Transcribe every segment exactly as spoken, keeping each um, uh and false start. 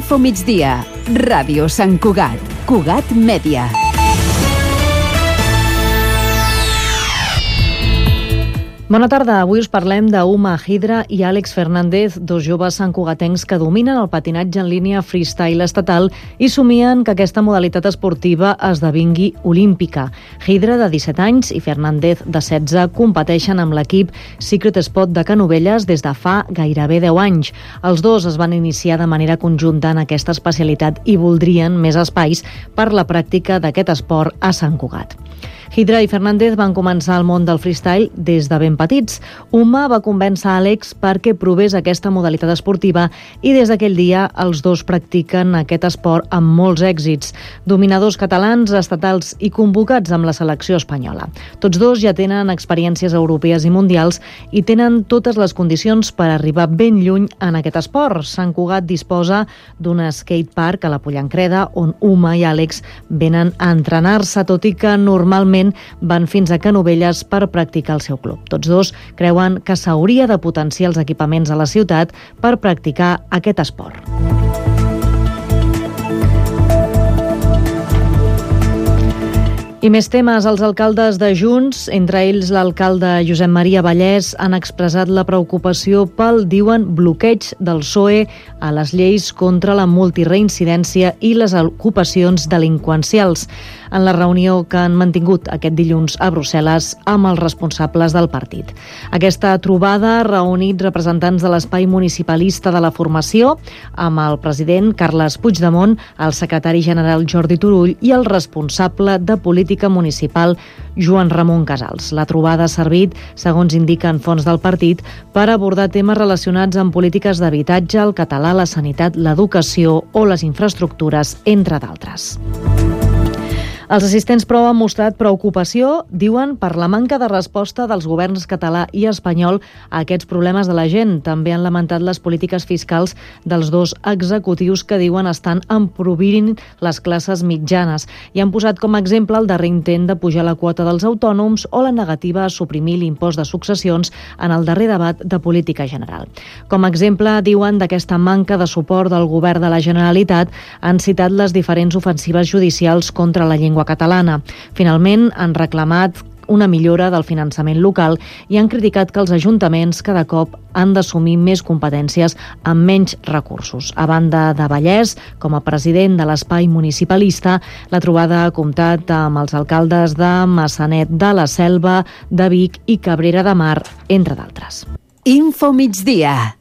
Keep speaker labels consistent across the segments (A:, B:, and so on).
A: Info migdia. Ràdio Sant Cugat. Cugat Mèdia.
B: Bona tarda, avui us parlem d'Uma Hidra i Àlex Fernández, dos joves santcugatencs que dominen el patinatge en línia freestyle estatal i somien que aquesta modalitat esportiva esdevingui olímpica. Hidra, de disset anys, i Fernández, de setze, competeixen amb l'equip Secret Spot de Canovelles des de fa gairebé deu anys. Els dos es van iniciar de manera conjunta en aquesta especialitat i voldrien més espais per la pràctica d'aquest esport a Sant Cugat. Hidra i Fernández van començar al món del freestyle des de ben petits. Uma va convèncer Àlex perquè provés aquesta modalitat esportiva i des d'aquell dia els dos practiquen aquest esport amb molts èxits. Dominadors catalans, estatals i convocats amb la selecció espanyola. Tots dos ja tenen experiències europees i mundials i tenen totes les condicions per arribar ben lluny en aquest esport. Sant Cugat disposa d'un skatepark a la Pollancreda on Uma i Àlex venen a entrenar-se, tot i que normalment van fins a Canovelles per practicar el seu club. Tots dos creuen que s'hauria de potenciar els equipaments a la ciutat per practicar aquest esport. I més temes. Els alcaldes de Junts, entre ells l'alcalde Josep Maria Vallès, han expressat la preocupació pel, diuen, bloqueig del P S O E a les lleis contra la multireincidència i les ocupacions delinqüencials. En la reunió que han mantingut aquest dilluns a Brussel·les amb els responsables del partit. Aquesta trobada ha reunit representants de l'espai municipalista de la formació amb el president Carles Puigdemont, el secretari general Jordi Turull i el responsable de política municipal Joan Ramon Casals. La trobada ha servit, segons indiquen fonts del partit, per abordar temes relacionats amb polítiques d'habitatge, el català, la sanitat, l'educació o les infraestructures, entre d'altres. Els assistents, però, han mostrat preocupació, diuen, per la manca de resposta dels governs català i espanyol a aquests problemes de la gent. També han lamentat les polítiques fiscals dels dos executius que diuen estan emprovint les classes mitjanes i han posat com a exemple el darrer intent de pujar la quota dels autònoms o la negativa a suprimir l'impost de successions en el darrer debat de política general. Com a exemple, diuen, d'aquesta manca de suport del govern de la Generalitat, han citat les diferents ofensives judicials contra la llengua catalana. Finalment, han reclamat una millora del finançament local i han criticat que els ajuntaments cada cop han d'assumir més competències amb menys recursos. A banda de Vallès, com a president de l'espai municipalista, la trobada ha comptat amb els alcaldes de Massanet de la Selva, de Vic i Cabrera de Mar, entre d'altres.
A: Info migdia.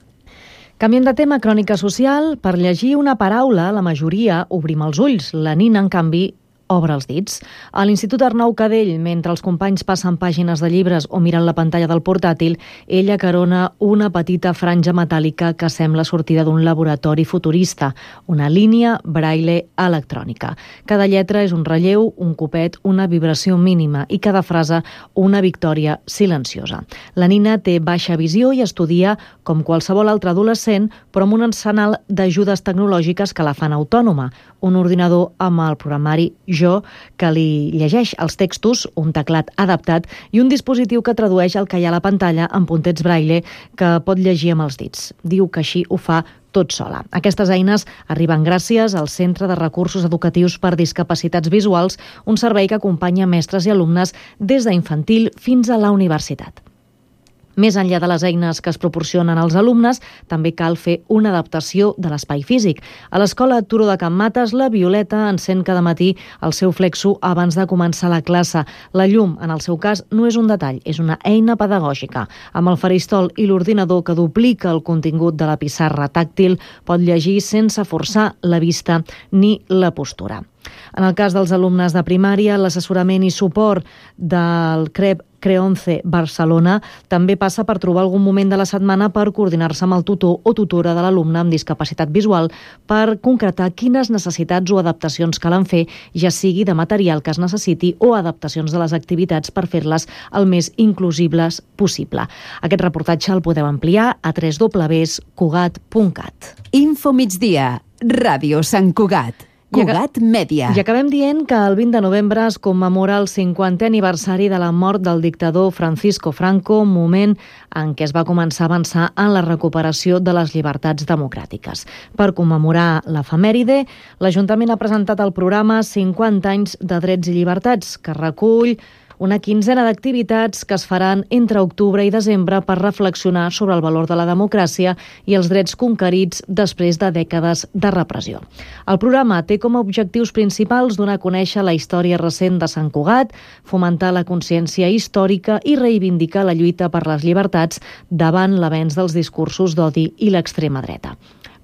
B: Canviem de tema, crònica social. Per llegir una paraula, la majoria obrim els ulls. La Nina, en canvi, obre els dits. A l'Institut Arnau Cadell, mentre els companys passen pàgines de llibres o miren la pantalla del portàtil, ella carona una petita franja metàl·lica que sembla sortida d'un laboratori futurista, una línia braille electrònica. Cada lletra és un relleu, un copet, una vibració mínima i cada frase una victòria silenciosa. La Nina té baixa visió i estudia com qualsevol altre adolescent, però amb un arsenal d'ajudes tecnològiques que la fan autònoma. Un ordinador amb el programari Jo, que li llegeix els textos, un teclat adaptat i un dispositiu que tradueix el que hi ha a la pantalla en puntets braille que pot llegir amb els dits. Diu que així ho fa tot sola. Aquestes eines arriben gràcies al Centre de Recursos Educatius per Discapacitats Visuals, un servei que acompanya mestres i alumnes des d'infantil fins a la universitat. Més enllà de les eines que es proporcionen als alumnes, també cal fer una adaptació de l'espai físic. A l'escola Turó de Can Mates, la Violeta encén cada matí el seu flexo abans de començar la classe. La llum, en el seu cas, no és un detall, és una eina pedagògica. Amb el faristol i l'ordinador que duplica el contingut de la pissarra tàctil, pot llegir sense forçar la vista ni la postura. En el cas dels alumnes de primària, l'assessorament i suport del C R E P Creonce Barcelona també passa per trobar algun moment de la setmana per coordinar-se amb el tutor o tutora de l'alumne amb discapacitat visual per concretar quines necessitats o adaptacions calen fer, ja sigui de material que es necessiti o adaptacions de les activitats per fer-les el més inclusibles possible. Aquest reportatge el podeu ampliar a w w w punt cugat punt cat.
A: Info migdia. Ràdio Sant Cugat. Cugat Mèdia.
B: I acabem dient que el vint de novembre es commemora el cinquantè aniversari de la mort del dictador Francisco Franco, moment en què es va començar a avançar en la recuperació de les llibertats democràtiques. Per commemorar l'efemèride, l'Ajuntament ha presentat el programa cinquanta anys de drets i llibertats, que recull una quinzena d'activitats que es faran entre octubre i desembre per reflexionar sobre el valor de la democràcia i els drets conquerits després de dècades de repressió. El programa té com a objectius principals donar a conèixer la història recent de Sant Cugat, fomentar la consciència històrica i reivindicar la lluita per les llibertats davant l'avenç dels discursos d'odi i l'extrema dreta.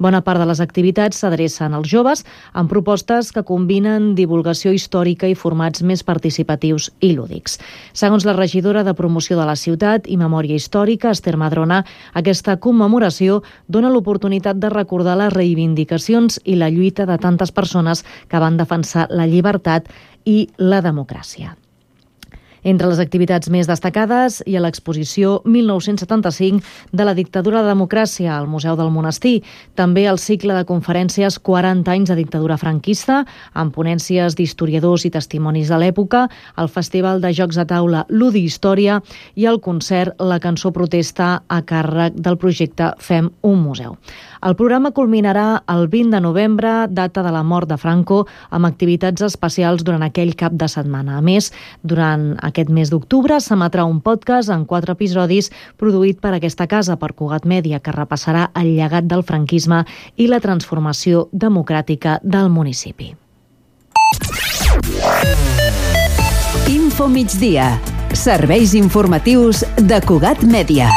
B: Bona part de les activitats s'adrecen als joves amb propostes que combinen divulgació històrica i formats més participatius i lúdics. Segons la regidora de Promoció de la Ciutat i Memòria Històrica, Esther Madrona, aquesta commemoració dona l'oportunitat de recordar les reivindicacions i la lluita de tantes persones que van defensar la llibertat i la democràcia. Entre les activitats més destacades hi ha l'exposició mil nou-cents setanta-cinc de la dictadura de democràcia al Museu del Monestir, també el cicle de conferències quaranta anys de dictadura franquista, amb ponències d'historiadors i testimonis de l'època, el Festival de Jocs de Taula Ludi Història i el concert La cançó protesta a càrrec del projecte Fem un museu. El programa culminarà el vint de novembre, data de la mort de Franco, amb activitats especials durant aquell cap de setmana. A més, durant aquest mes d'octubre s'emetrà un podcast en quatre episodis produït per aquesta casa, per Cugat Mèdia, que repassarà el llegat del franquisme i la transformació democràtica del municipi.
A: Info migdia. Serveis informatius de Cugat Mèdia.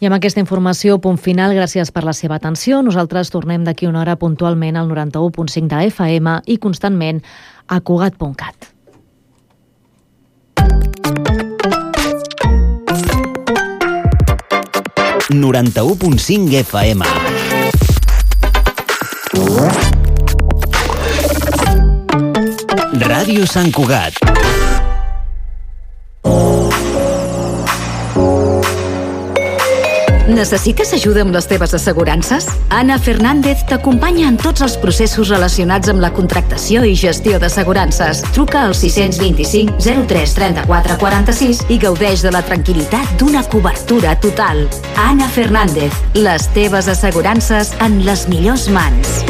B: I amb aquesta informació, punt final, gràcies per la seva atenció. Nosaltres tornem d'aquí una hora puntualment al noranta-u punt cinc de F M i constantment a Cugat punt cat.
C: noranta-u punt cinc F M. Ràdio Sant Cugat.
D: Necessites ajuda amb les teves assegurances? Ana Fernández t'acompanya en tots els processos relacionats amb la contractació i gestió d'assegurances. Truca al sis vint-i-cinc zero tres trenta-quatre quaranta-sis i gaudeix de la tranquil·litat d'una cobertura total. Ana Fernández, les teves assegurances en les millors mans.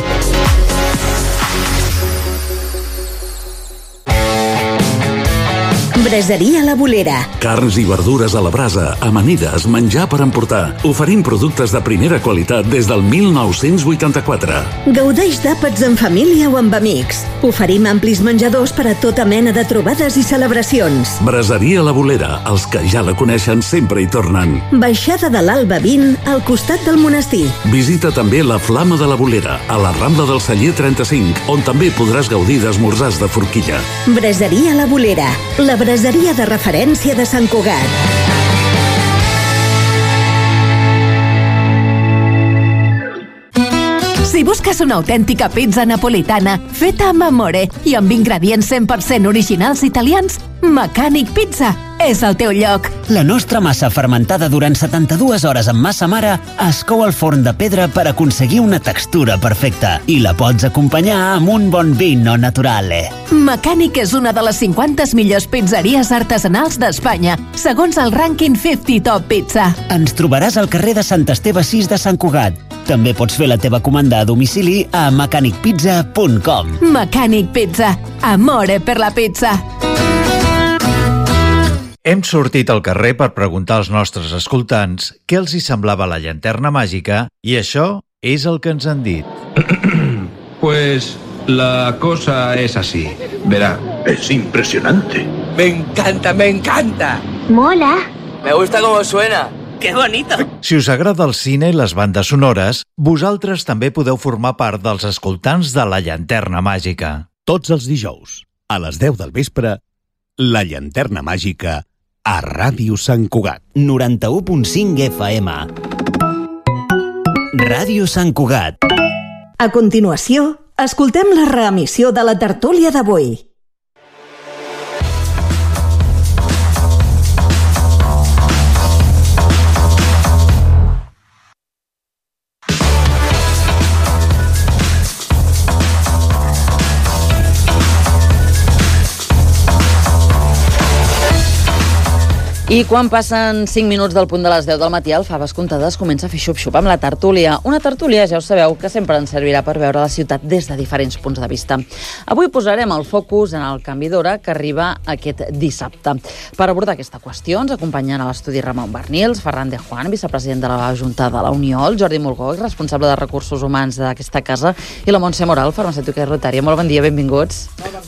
E: Braseria La Bolera.
F: Carns i verdures a la brasa, amanides, menjar per emportar. Oferim productes de primera qualitat des del mil nou-cents vuitanta-quatre.
E: Gaudeix d'àpats en família o amb amics. Oferim amplis menjadors per a tota mena de trobades i celebracions.
F: Braseria La Bolera, els que ja la coneixen sempre hi tornen.
E: Baixada de l'Alba vint, al costat del monestir.
F: Visita també la Flama de la Bolera, a la Rambla del Celler trenta-cinc, on també podràs gaudir d'esmorzars de forquilla.
E: Braseria La Bolera, la braseria de referència de Sant Cugat.
D: Si busques una autèntica pizza napolitana feta amb amore i amb ingredients cent per cent originals italians, Mecànic Pizza és el teu lloc.
C: La nostra massa fermentada durant setanta-dues hores amb massa mare es cou al forn de pedra per aconseguir una textura perfecta i la pots acompanyar amb un bon vino naturale.
D: Mecànic és una de les cinquanta millors pizzeries artesanals d'Espanya, segons el rànquing cinquanta Top Pizza.
C: Ens trobaràs al carrer de Sant Esteve sis de Sant Cugat. També pots fer la teva comanda a domicili a mecànic pizza punt com.
D: Mecànic Pizza. Amore per la pizza.
G: Hem sortit al carrer per preguntar als nostres escoltants què els hi semblava la llanterna màgica i això és el que ens han dit.
H: Pues la cosa es así. Verá, es impresionante.
I: Me encanta, me encanta.
J: Mola.
I: Me gusta cómo suena. ¡Qué bonito!
G: Si us agrada el cine i les bandes sonores, vosaltres també podeu formar part dels escoltants de la llanterna màgica.
K: Tots els dijous, a les deu del vespre, la llanterna màgica a Ràdio Sant Cugat.
C: noranta-u punt cinc F M. Ràdio Sant Cugat.
E: A continuació, escoltem la reemissió de la tertúlia d'avui.
J: I quan passen cinc minuts del punt de les deu del matí, el Faves Comptades comença a fer xup-xup amb la tertúlia. Una tertúlia, ja ho sabeu, que sempre ens servirà per veure la ciutat des de diferents punts de vista. Avui posarem el focus en el canvi d'hora que arriba aquest dissabte. Per abordar aquesta qüestió ens acompanyen a l'estudi Ramon Barnils, Ferran de Juan, vicepresident de la Junta de la Unió, el Jordi Mulgó, responsable de recursos humans d'aquesta casa, i la Montse Moral, farmacèutica i rotària. Molt bon dia, benvinguts.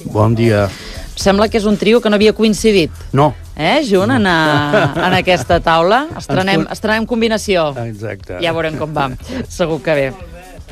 L: Bon dia.
J: Sembla que és un trio que no havia coincidit.
L: No.
J: Eh, junt en, a, en aquesta taula. Estrenem, estrenem combinació.
L: Exacte.
J: Ja veurem com va. Segur que bé.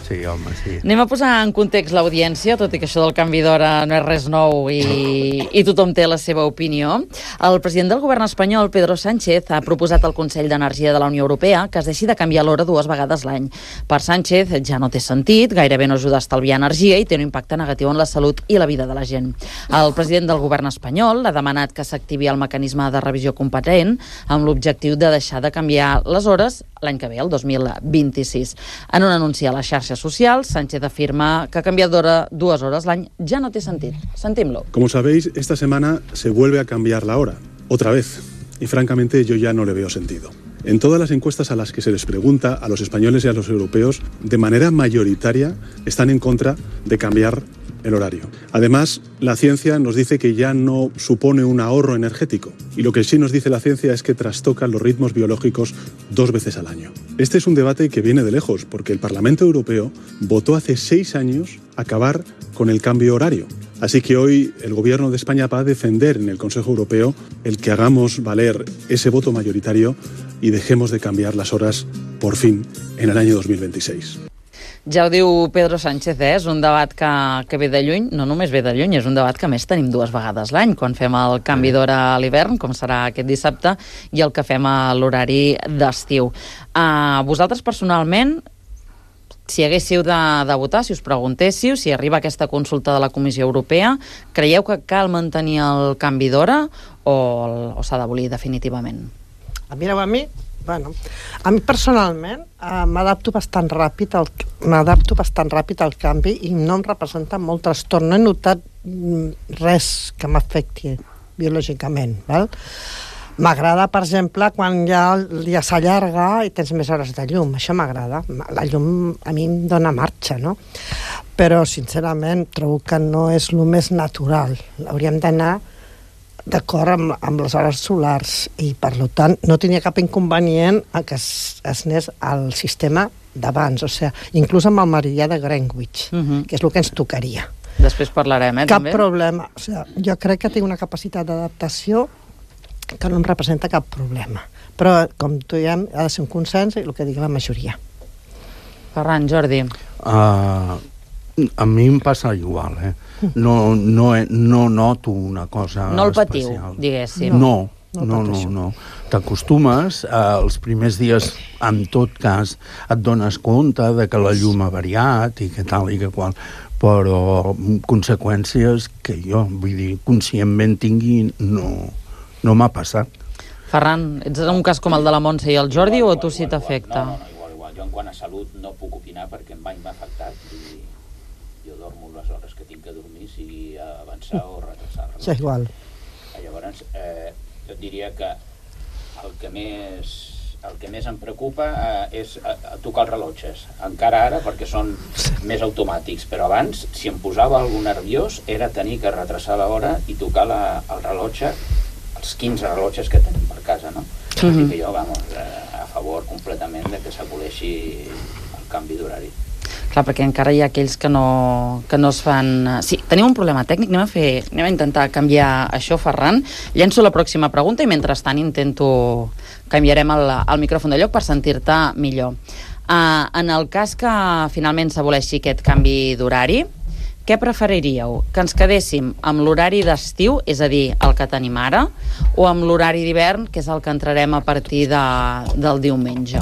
L: Sí, home, sí.
J: Anem a posar en context l'audiència, tot i que això del canvi d'hora no és res nou i, i tothom té la seva opinió. El president del govern espanyol, Pedro Sánchez, ha proposat al Consell d'Energia de la Unió Europea que es deixi de canviar l'hora dues vegades l'any. Per Sánchez ja no té sentit, gairebé no ajuda a estalviar energia i té un impacte negatiu en la salut i la vida de la gent. El president del govern espanyol ha demanat que s'activi el mecanisme de revisió competent amb l'objectiu de deixar de canviar les hores l'any que ve, el dos mil vint-i-sis. En un anunci a les xarxes socials, Sánchez afirma que canviar d'hora dues hores l'any ja no té sentit. Sentim-lo.
M: Como sabéis, esta semana se vuelve a cambiar la hora, otra vez. Y francamente yo ya no le veo sentido. En todas las encuestas a las que se les pregunta a los españoles y a los europeos, de manera mayoritaria están en contra de cambiar el horario. Además, la ciencia nos dice que ya no supone un ahorro energético y lo que sí nos dice la ciencia es que trastocan los ritmos biológicos dos veces al año. Este es un debate que viene de lejos porque el Parlamento Europeo votó hace seis años acabar con el cambio horario. Así que hoy el Gobierno de España va a defender en el Consejo Europeo el que hagamos valer ese voto mayoritario y dejemos de cambiar las horas por fin en el año dos mil veintiséis.
J: Ja ho diu Pedro Sánchez, eh? És un debat que, que ve de lluny, no només ve de lluny, és un debat que més tenim dues vegades l'any, quan fem el canvi d'hora a l'hivern, com serà aquest dissabte, i el que fem a l'horari d'estiu. Uh, vosaltres personalment, si haguéssiu de, de votar, si us preguntéssiu, si arriba aquesta consulta de la Comissió Europea, creieu que cal mantenir el canvi d'hora o, o s'ha d'abolir definitivament?
N: Mireu, a mi, bueno, a mi personalment eh, m'adapto bastant ràpid al, m'adapto bastant ràpid al canvi i no em representa molt trastorn. No he notat mm, res que m'afecti biològicament, val? M'agrada, per exemple, quan ja el dia s'allarga i tens més hores de llum. Això m'agrada. La llum a mi em dona marxa, no? Però, sincerament, trobo que no és el més natural. Hauríem d'anar d'acord amb, amb les hores solars i, per tant, no tenia cap inconvenient a que es, es anés al sistema d'abans, o sigui, inclús amb el meridià de Greenwich, uh-huh. que és el que ens tocaria.
J: Després parlarem, eh,
N: cap
J: també?
N: Cap problema. O sigui, jo crec que tinc una capacitat d'adaptació que no em representa cap problema. Però, com tu diem, ha de ser un consens i el que digui la majoria.
J: Ferran, Jordi.
L: Uh, a mi em passa igual, eh? No, no, no noto una cosa
J: no el patiu,
L: especial.
J: Diguéssim.
L: No, no, no, no, no. T'acostumes, eh, els primers dies, en tot cas, et dones compte de que la llum ha variat i que tal i que qual, però conseqüències que jo, vull dir, conscientment tingui, no, no m'ha passat.
J: Ferran, ets un cas com el de la Montse i el Jordi o a tu sí t'afecta?
O: No, no, igual, igual. Jo en quant a salut no puc opinar perquè mai m'ha afectat i jo dormo les hores que tinc que dormir, sigui avançar o retrasar-la.
N: Sí, igual.
O: Llavors, eh, jo diria que el que més, el que més em preocupa eh, és eh, tocar els rellotges. Encara ara, perquè són més automàtics, però abans, si em posava algun nerviós, era tenir que retrasar l'hora i tocar la, el rellotge, els quinze rellotges que tenim per casa, no? Mm-hmm. Així que jo, vamos, eh, a favor completament de que s'aboleixi el canvi d'horari.
J: Clar, perquè encara hi ha aquells que no, que no es fan... Sí, tenim un problema tècnic, anem a, fer, anem a intentar canviar això, Ferran. Llenço la pròxima pregunta i mentrestant intento... canviarem el, el micròfon de lloc per sentir-te millor. Uh, en el cas que finalment s'aboleixi aquest canvi d'horari, què preferiríeu? Que ens quedéssim amb l'horari d'estiu, és a dir, el que tenim ara, o amb l'horari d'hivern, que és el que entrarem a partir de, del diumenge?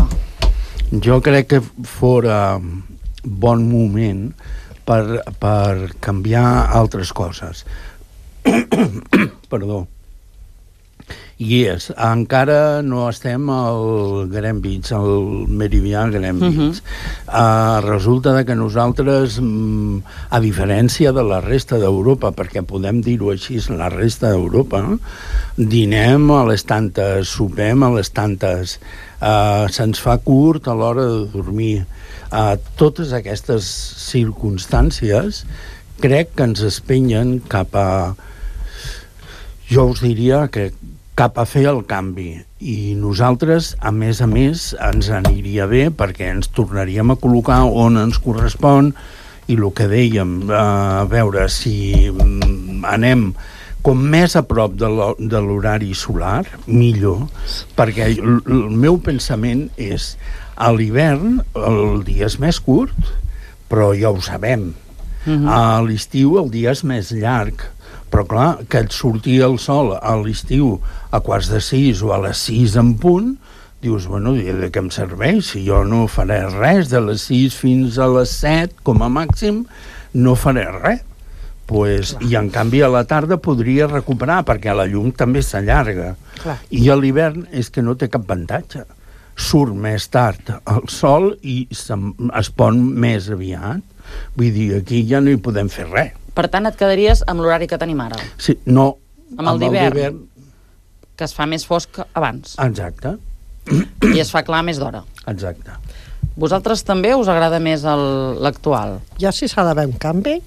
L: Jo crec que fora bon moment per, per canviar altres coses. Perdó. I és, encara no estem al Greenwich, al meridià Greenwich. Uh-huh. Uh, resulta que nosaltres, mm, a diferència de la resta d'Europa, perquè podem dir-ho així, la resta d'Europa, dinem a les tantes, sopem a les tantes, uh, se'ns fa curt a l'hora de dormir. Uh, totes aquestes circumstàncies crec que ens espenyen cap a... Jo us diria que cap a fer el canvi, i nosaltres, a més a més, ens aniria bé perquè ens tornaríem a col·locar on ens correspon, i el que dèiem, a veure si anem com més a prop de l'horari solar, millor, perquè el meu pensament és, a l'hivern el dia és més curt, però ja ho sabem. Uh-huh. A l'estiu el dia és més llarg, però clar, que et surti el sol a l'estiu a quarts de sis o a les sis en punt, dius, bueno, de què em serveix? Si jo no faré res, de les sis fins a les set, com a màxim, no faré res. Pues, i en canvi a la tarda podria recuperar, perquè la llum també s'allarga. I a l'hivern és que no té cap avantatge. Surt més tard el sol i es pon més aviat. Vull dir, aquí ja no hi podem fer res.
J: Per tant, et quedaries amb l'horari que tenim ara?
L: Sí, no.
J: Amb el d'hivern, que es fa més fosc abans.
L: Exacte.
J: I es fa clar més d'hora.
L: Exacte.
J: Vosaltres també us agrada més l'actual?
N: Jo, si s'ha d'haver un canvi,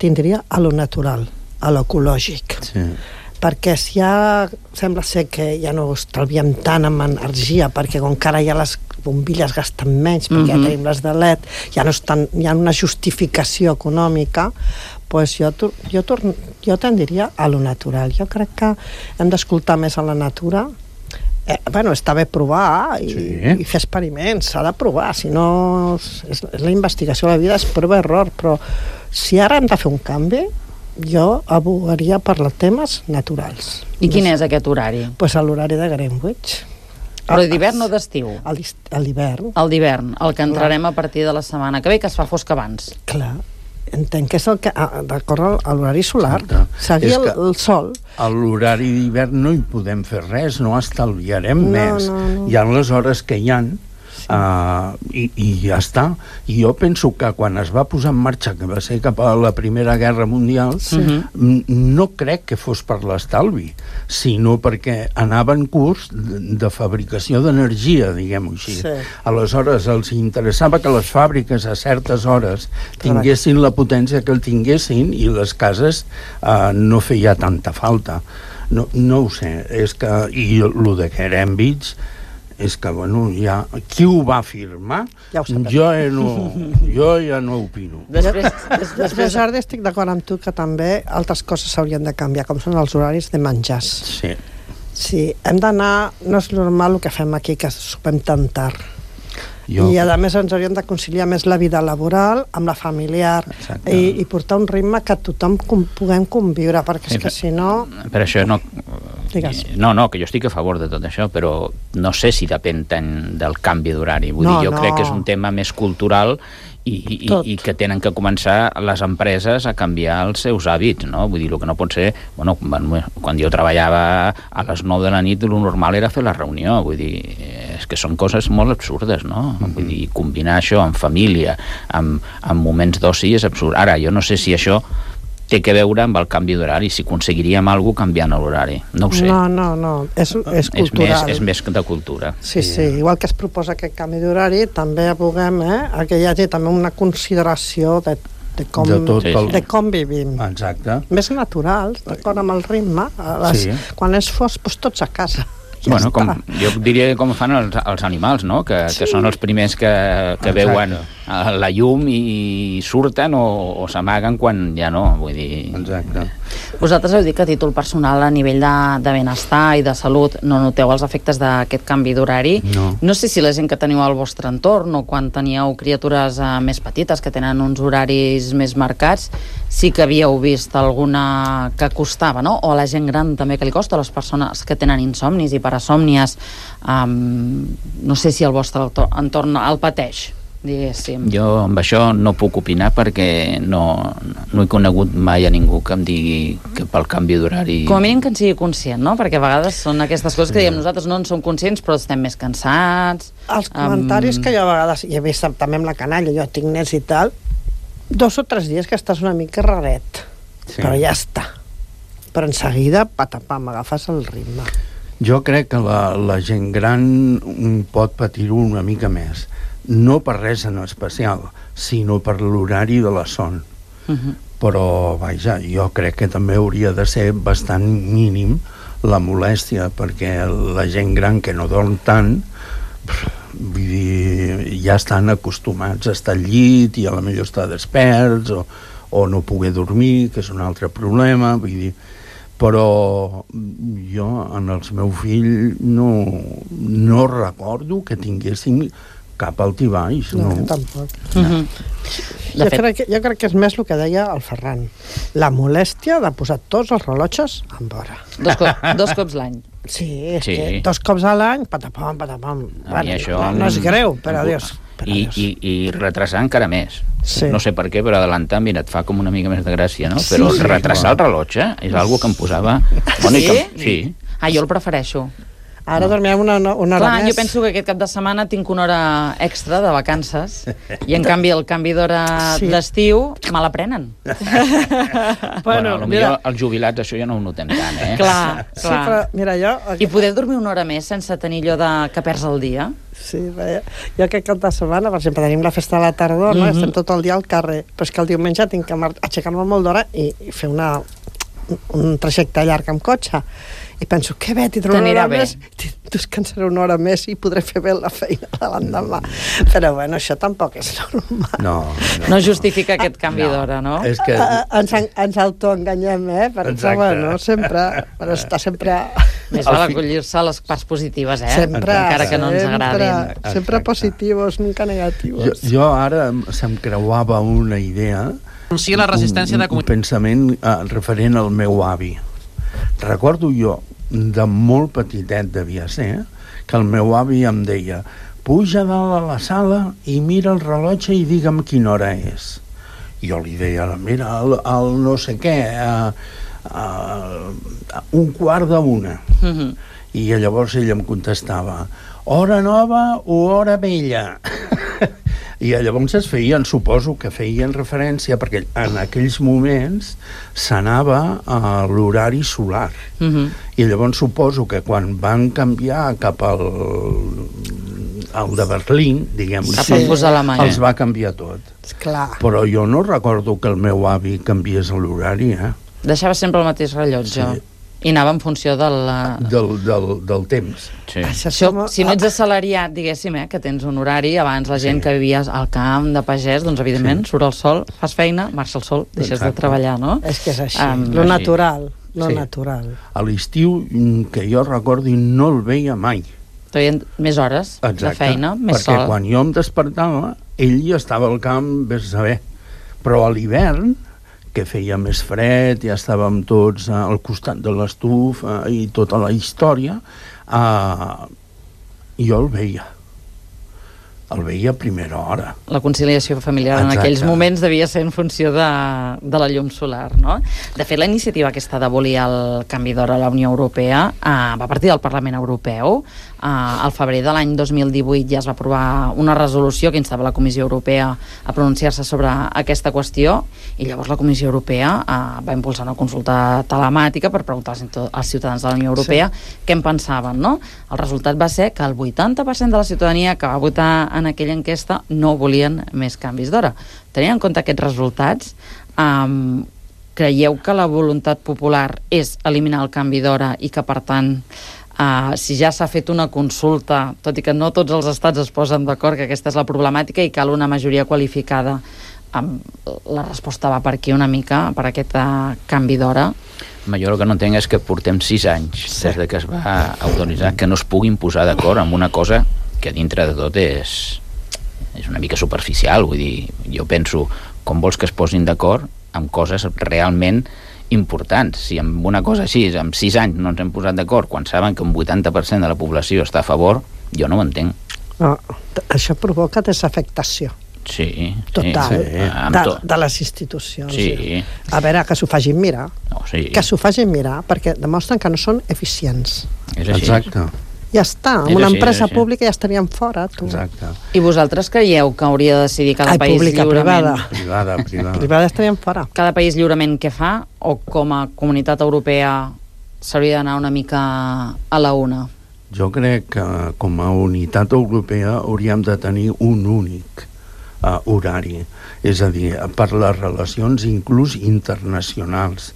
N: tindria a lo natural, a lo ecològic.
L: Sí.
N: Perquè si ja sembla ser que ja no estalviem tant amb energia, perquè com que ara ja les bombilles gasten menys, perquè mm-hmm. ja tenim les de L E D, ja no estan, hi ha una justificació econòmica, pues jo, jo, torn, jo tendiria a lo natural. Jo crec que hem d'escoltar més a la natura. Eh, bueno, està bé provar i, sí. i fer experiments, s'ha de provar, si no és, és la investigació de la vida, és prova-error, però si ara hem de fer un canvi, jo abogaria per els temes naturals.
J: I quin és aquest horari?
N: Pues l'horari de Greenwich.
J: Però d'hivern o d'estiu?
N: A l'hivern.
J: El d'hivern, el que entrarem a partir de la setmana que ve, que es fa fosc abans.
N: Clar. Entenc que és el que, d'acord a l'horari solar, seguir el, el sol.
L: A l'horari d'hivern no hi podem fer res, no estalviarem no, més. No, no. Hi ha les hores que hi ha, sí. uh, i, i ja està. I jo penso que quan es va posar en marxa, que va ser cap a la Primera Guerra Mundial, sí. no crec que fos per l'estalvi, sinó perquè anava en curs de, de fabricació d'energia, diguem-ho així. Sí. Aleshores, els interessava que les fàbriques a certes hores tinguessin la potència que el tinguessin i les cases uh, no feia tanta falta. No, no ho sé, és que... I el de Greenwich és que, bueno, ja... Qui ho va firmar?
N: Ja ho sabem.
L: Jo, ja no, jo ja no opino.
N: Després, des, després ara estic d'acord amb tu que també altres coses s'haurien de canviar, com són els horaris de menjars.
L: Sí.
N: Sí, hem d'anar... No és normal el que fem aquí, que sopem tan tard. Jo... I a més ens hauríem de conciliar més la vida laboral amb la familiar i, i portar un ritme que tothom com, puguem conviure, perquè és sí, que si no...
O: Per això no...
N: Digues.
O: No, no, que jo estic a favor de tot això, però no sé si depèn tant del canvi d'horari. Vull
N: no,
O: dir, jo
N: no.
O: crec que és un tema més cultural i, i, i que tenen que començar les empreses a canviar els seus hàbits, no? Vull dir, el que no pot ser... Bueno, quan jo treballava a les nou de la nit, el normal era fer la reunió, vull dir, és que són coses molt absurdes, no? Mm-hmm. Vull dir, combinar això amb família, amb, amb moments d'oci és absurd. Ara, jo no sé si això té que veure amb el canvi d'horari, si aconseguiríem alguna cosa canviant l'horari. No ho sé.
N: No, no, no. És, és cultural.
O: És més, és més de cultura.
N: Sí, sí. Igual que es proposa aquest canvi d'horari, també aboguem eh, a que hi hagi també una consideració de, de, com,
L: de, tot
N: de,
L: el...
N: de com vivim.
L: Exacte.
N: Més naturals, d'acord amb el ritme. A les, sí. Quan és fosc, doncs tots a casa. Ja
O: bueno, com, jo diria com fan els, els animals, no? Que, sí. que són els primers que, que veuen la llum i surten o, o s'amaguen quan ja no, vull dir...
L: Exacte.
J: Vosaltres heu dit que a títol personal, a nivell de, de benestar i de salut, no noteu els efectes d'aquest canvi d'horari.
L: No.
J: No sé si la gent que teniu al vostre entorn o quan teníeu criatures eh, més petites que tenen uns horaris més marcats, sí que havíeu vist alguna que costava, no? O a la gent gran també que li costa, a les persones que tenen insomnis i parasòmnies, um, no sé si el vostre entorn el pateix. diguéssim.
O: Jo amb això no puc opinar perquè no, no he conegut mai a ningú que em digui que pel canvi d'horari...
J: Com a mínim que en sigui conscient, no? Perquè a vegades són aquestes coses que diem nosaltres no en som conscients però estem més cansats...
N: Els comentaris um... que jo a vegades, i he vist també amb la canalla, jo tinc nens i tal, dos o tres dies que estàs una mica raret, sí. Però ja està. Però en seguida, patapam, agafes el ritme.
L: Jo crec que la, la gent gran pot patir-ho una mica més. No per res en especial, sinó per l'horari de la son. Uh-huh. Però, vaja, jo crec que també hauria de ser bastant mínim la molèstia, perquè la gent gran que no dorm tant, vull dir, ja estan acostumats a estar al llit i a la millor estar desperts o, o no poder dormir, que és un altre problema, vull dir, però jo en els meus fills no, no recordo que tinguéssim cap altibaix, no?
N: No, tampoc. Mm-hmm. Jo, fet... crec que, jo crec que és més el que deia el Ferran. La molèstia de posar tots els rellotges en vora.
J: Dos, co dos cops l'any.
N: Sí, és
O: sí.
N: que dos cops a l'any, patapam, patapam. Bueno,
O: això...
N: no, no és greu, per a Dios. Per
O: I, i, I retrasar encara més.
N: Sí.
O: No sé per què, però adelantar, mira, et fa com una mica més de gràcia, no? Però sí, retrasar el rellotge és algo que em posava... Bueno,
J: sí?
O: Que... Sí.
J: Ah, jo el prefereixo.
N: Ara dormirem una, una hora
J: Clar,
N: més.
J: jo penso que aquest cap de setmana tinc una hora extra de vacances i en canvi el canvi d'hora sí. d'estiu me la prenen.
O: bueno, bueno potser mira... els jubilats això ja no ho notem tant, eh?
J: Clar, clar.
N: Sí, però, mira, jo...
J: I poder dormir una hora més sense tenir allò de que perds el dia.
N: Sí, bé. Jo aquest cap de setmana, per exemple, tenim la festa de la tardor, no? Mm-hmm. Estem tot el dia al carrer, però és que el diumenge tinc que aixecar-me molt d'hora i, i fer una, un trajecte llarg amb cotxe. I penso, que bé, t'hi trobo una hora bé. més, descansaré una hora més i podré fer bé la feina de l'endemà. Però bueno, això tampoc és normal.
L: No,
J: no. no justifica aquest canvi no. d'hora, no?
L: És que...
N: Ens, ens autoenganyem, eh? Per exemple, bueno, sempre, per estar sempre...
J: Més val acollir-se a les parts positives, eh?
N: Sempre,
J: encara que no ens agradin.
N: Sempre, sempre positivos, nunca negativos.
L: Jo, jo ara se'm creuava una idea,
P: sí, la resistència
L: un,
P: de
L: un pensament uh, referent al meu avi. Recordo jo, de molt petitet devia ser, que el meu avi em deia: puja dalt a la sala i mira el rellotge i digue'm quina hora és. I jo li deia: mira, el, el no sé què, uh, uh, un quart d'una. Mm-hmm. I llavors ell em contestava: hora nova o hora vella? I llavors es feien, suposo que feien referència, perquè en aquells moments s'anava a l'horari solar. Uh-huh. I llavors suposo que quan van canviar cap al, al de Berlín, diguem-ho
J: així,
L: els va canviar tot.
N: Clar.
L: Però jo no recordo que el meu avi canviés l'horari, eh?
J: Deixava sempre el mateix rellotge. Sí. I anava en funció del...
L: Del, del, del temps.
J: Sí. Això, si no ets assalariat, diguéssim, eh, que tens un horari, abans la gent sí. que vivia al camp de pagès, doncs evidentment sí. surt el sol, fas feina, marxa el sol, deixes Exacte. de treballar, no?
N: És que és així, um, lo natural, lo sí. natural.
L: A l'estiu, que jo recordi, no el veia mai.
J: Feien més hores Exacte. de feina, més
L: perquè sol. Perquè quan jo em despertava, ell ja estava al camp, vés a saber. Però a l'hivern, que feia més fred, ja estàvem tots al costat de l'estufa i tota la història, uh, jo el veia. El veia a primera hora.
J: La conciliació familiar Exacte. en aquells moments devia ser en funció de, de la llum solar, no? De fet, la iniciativa aquesta d'abolir el canvi d'hora a la Unió Europea uh, va partir del Parlament Europeu. Uh, al febrer de l'any dos mil divuit ja es va aprovar una resolució que instava la Comissió Europea a pronunciar-se sobre aquesta qüestió i llavors la Comissió Europea uh, va impulsar una consulta telemàtica per preguntar als ciutadans de la Unió Europea sí. què en pensaven, no? El resultat va ser que el vuitanta per cent de la ciutadania que va votar en aquella enquesta no volien més canvis d'hora. Tenint en compte aquests resultats, um, creieu que la voluntat popular és eliminar el canvi d'hora i que, per tant, uh, si ja s'ha fet una consulta, tot i que no tots els estats es posen d'acord que aquesta és la problemàtica i cal una majoria qualificada, um, la resposta va per aquí una mica, per aquest uh, canvi d'hora?
O: Jo el que no entenc és que portem sis anys sí. des de que es va autoritzar que no es puguin posar d'acord amb una cosa que dintre de tot és, és una mica superficial. Vull dir, jo penso, com vols que es posin d'acord amb coses realment importants? Si amb una cosa així, amb sis anys no ens hem posat d'acord, quan saben que un vuitanta per cent de la població està a favor, jo no ho entenc.
N: No, això provoca desafectació.
O: Sí.
N: Total,
O: sí.
N: De, de les institucions.
O: Sí.
N: A veure, que s'ho facin mirar.
O: No, sí.
N: Que s'ho facin mirar, perquè demostren que no són eficients.
O: És així.
L: Exacte.
N: Ja està, amb una empresa pública ja estaríem fora, tu.
L: Exacte.
J: I vosaltres creieu que hauria de decidir cada
N: Ai,
J: país
N: pública,
J: lliurement?
N: privada.
L: Privada, privada.
N: Privada estaríem fora.
J: Cada país lliurement què fa? O com a comunitat europea s'hauria d'anar una mica a la una?
L: Jo crec que com a unitat europea hauríem de tenir un únic uh, horari, és a dir, per les relacions inclús internacionals.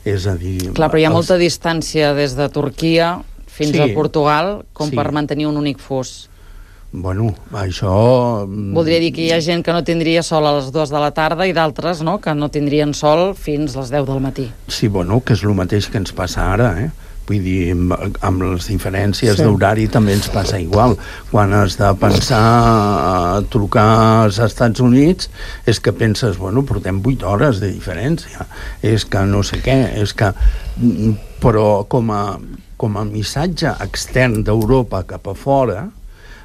L: És a dir...
J: Clar, però hi ha
L: els...
J: molta distància des de Turquia fins
L: Sí.
J: a Portugal com
L: Sí.
J: per mantenir un únic fus.
L: Bueno, això...
J: Voldria dir que hi ha gent que no tindria sol a les dues de la tarda i d'altres, no?, que no tindrien sol fins les deu del matí.
L: Sí, bueno, que és el mateix que ens passa ara, eh? Vull dir, amb, amb les diferències
N: Sí.
L: d'horari també ens passa igual. Quan has de pensar a trucar als Estats Units és que penses, bueno, portem vuit hores de diferència. És que no sé què, és que... Però com a, com a missatge extern d'Europa cap a fora,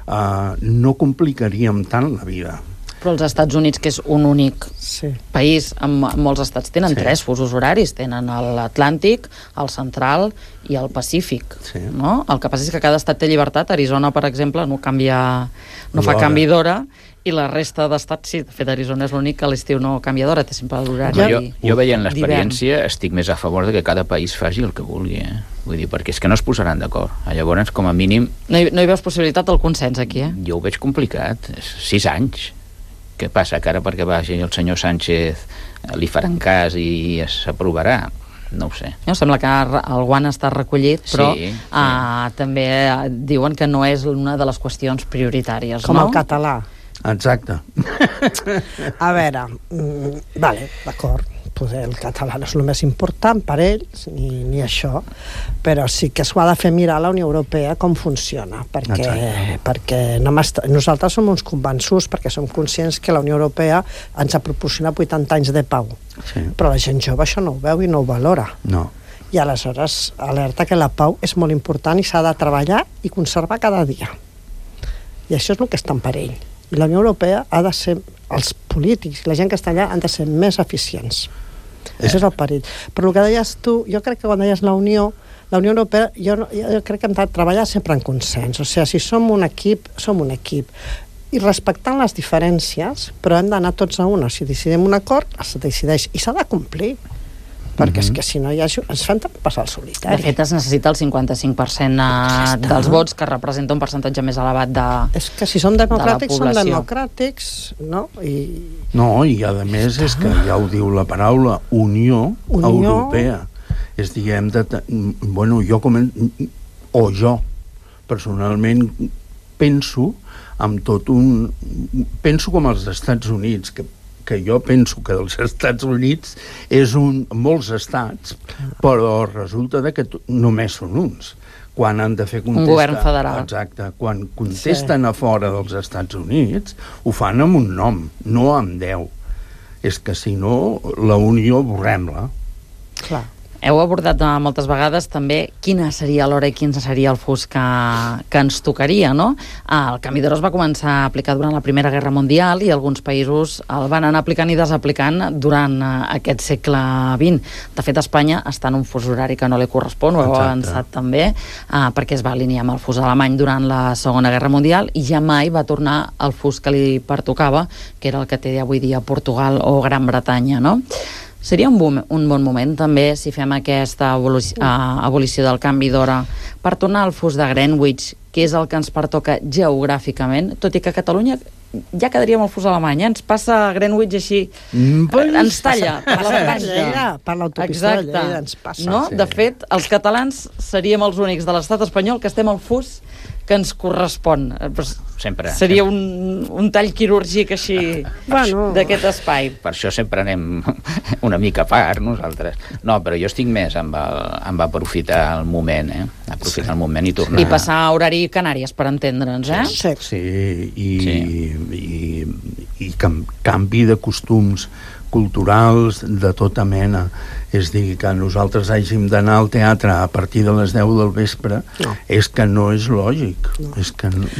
L: eh, no complicaríem tant la vida.
J: Però els Estats Units, que és un únic
N: sí.
J: país, amb molts estats tenen
L: Sí.
J: tres fusos horaris, tenen l'Atlàntic, el Central i el Pacífic.
L: Sí.
J: No? El que passa és que cada estat té llibertat. Arizona, per exemple, no canvia, no fa
L: L'hora.
J: canvi d'hora, i la resta d'estats, sí, de fet, Arizona és l'únic que a l'estiu no canvia d'hora, té sempre l'horari.
O: Jo, jo veient
J: d'hivern.
O: l'experiència estic més a favor de que cada país faci el que vulgui, eh? Vull dir, perquè és que no es posaran d'acord. Llavors, com a mínim...
J: No hi, no hi veus possibilitat del consens aquí, eh?
O: Jo ho veig complicat. És sis anys. Què passa? Que ara perquè vagi el senyor Sánchez li faran cas i s'aprovarà? No ho sé.
J: No, sembla que el guant està recollit, però
O: Sí, sí.
J: Uh, també diuen que no és una de les qüestions prioritàries,
N: Com
J: no?
N: el català.
L: Exacte.
N: A veure, mm, vale, d'acord, poder el català no és el més important per ells, ni, ni això, però sí que s'ho ha de fer mirar a la Unió Europea com funciona, perquè, perquè no nosaltres som uns convençuts, perquè som conscients que la Unió Europea ens ha proporcionat vuitanta anys de pau,
L: Sí.
N: però la gent jove això no ho veu i no ho valora.
L: No.
N: I aleshores alerta que la pau és molt important i s'ha de treballar i conservar cada dia. I això és el que està en perill. I la Unió Europea ha de ser, els polítics, la gent que està allà, han de ser més eficients. Eh. Això és el perill. Però el que deies tu, jo crec que quan deies la Unió, la Unió Europea, jo, no, jo crec que hem de treballar sempre en consens. O sigui, si som un equip, som un equip. I respectant les diferències, però hem d'anar tots a una. Si decidim un acord, es decideix. I s'ha de complir. Perquè és que si no hi ha... ens fan passar el solitari.
J: De fet, es necessita el cinquanta-cinc per cent ja dels vots, que representa un percentatge més elevat de
N: És que si som democràtics,
J: de
N: som
J: la
N: democràtics, no? I...
L: No, i a més és que ja ho diu la paraula Unió,
N: Unió.
L: Europea. És dir, hem de... Bueno, jo com... O jo, personalment, penso amb tot un... Penso com els Estats Units, que que jo penso que dels Estats Units és un, molts estats, però resulta de que només són uns. Quan han de fer contestar...
J: Un govern federal.
L: Exacte. Quan contesten sí. a fora dels Estats Units, ho fan amb un nom, no amb deu. És que si no, la Unió borrem-la.
N: Clar.
J: Heu abordat moltes vegades també quina seria l'hora i quin seria el fus que, que ens tocaria, no? El canvi d'hora es va començar a aplicar durant la Primera Guerra Mundial i alguns països el van anar aplicant i desaplicant durant aquest segle vint. De fet, Espanya està en un fus horari que no li correspon, ho heu avançat també, eh, perquè es va alinear amb el fus alemany durant la Segona Guerra Mundial i ja mai va tornar al fus que li pertocava, que era el que té avui dia Portugal o Gran Bretanya, no? Seria un, boom, un bon moment també si fem aquesta abolició, uh, abolició del canvi d'hora per tornar al fus de Greenwich, que és el que ens pertoca geogràficament, tot i que a Catalunya ja quedaríem al fus alemany, eh? Ens passa Greenwich així, mm, ens talla per la franja,
N: per l'autopista de Lleida ens passa.
J: No?
N: Sí.
J: De fet, els catalans seríem els únics de l'estat espanyol que estem al fus que ens correspon.
O: Sempre.
J: Seria un, un tall quirúrgic així
N: bueno.
J: d'aquest espai.
O: Per això sempre anem una mica a part, nosaltres. No, però jo estic més amb, el, amb aprofitar el moment, eh? Aprofitar sí. el moment i tornar...
J: I passar a horari Canàries, per entendre'ns, eh?
L: Sí, sí i, sí. i, i cam, canvi de costums culturals de tota mena. És dir, que nosaltres hàgim d'anar al teatre a partir de les deu del vespre, no. és que no és lògic. No. És que... No...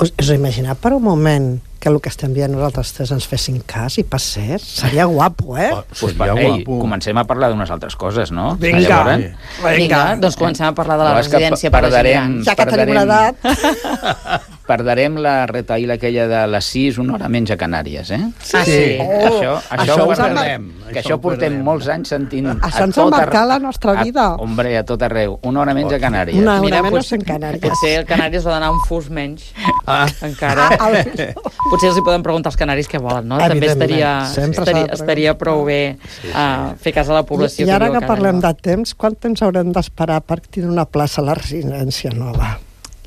N: us, us imagineu per un moment que el que estem dient nosaltres tres ens fessin cas i passés? Seria guapo, eh?
O: Oh, pues, seria ei, guapo. Comencem a parlar d'unes altres coses, no?
N: Vinga,
J: Llavors, vinga. vinga, doncs comencem a parlar de la residència per a gent gran.
N: Ja que tenim una edat...
O: Perdarem la retaïla aquella de les sis, una hora menys a Canàries, eh?
N: Sí, sí. Oh,
O: això, això, això ho perdem. Que això, això portem molts anys sentint...
N: Això ens ha marcat la nostra vida.
O: A, hombre, a tot arreu. Una hora menys a Canàries.
N: Una hora
J: Mira,
N: menys en Canàries.
J: Potser el Canàries va donar un fus menys. Ah. Encara. Ah, potser els hi poden preguntar als canaris què volen, no? També estaria, estaria, estaria prou bé sí, sí. Uh, fer cas a la població.
N: I, i ara que,
J: que
N: parlem de temps, quant temps haurem d'esperar per tenir una plaça a la residència nova?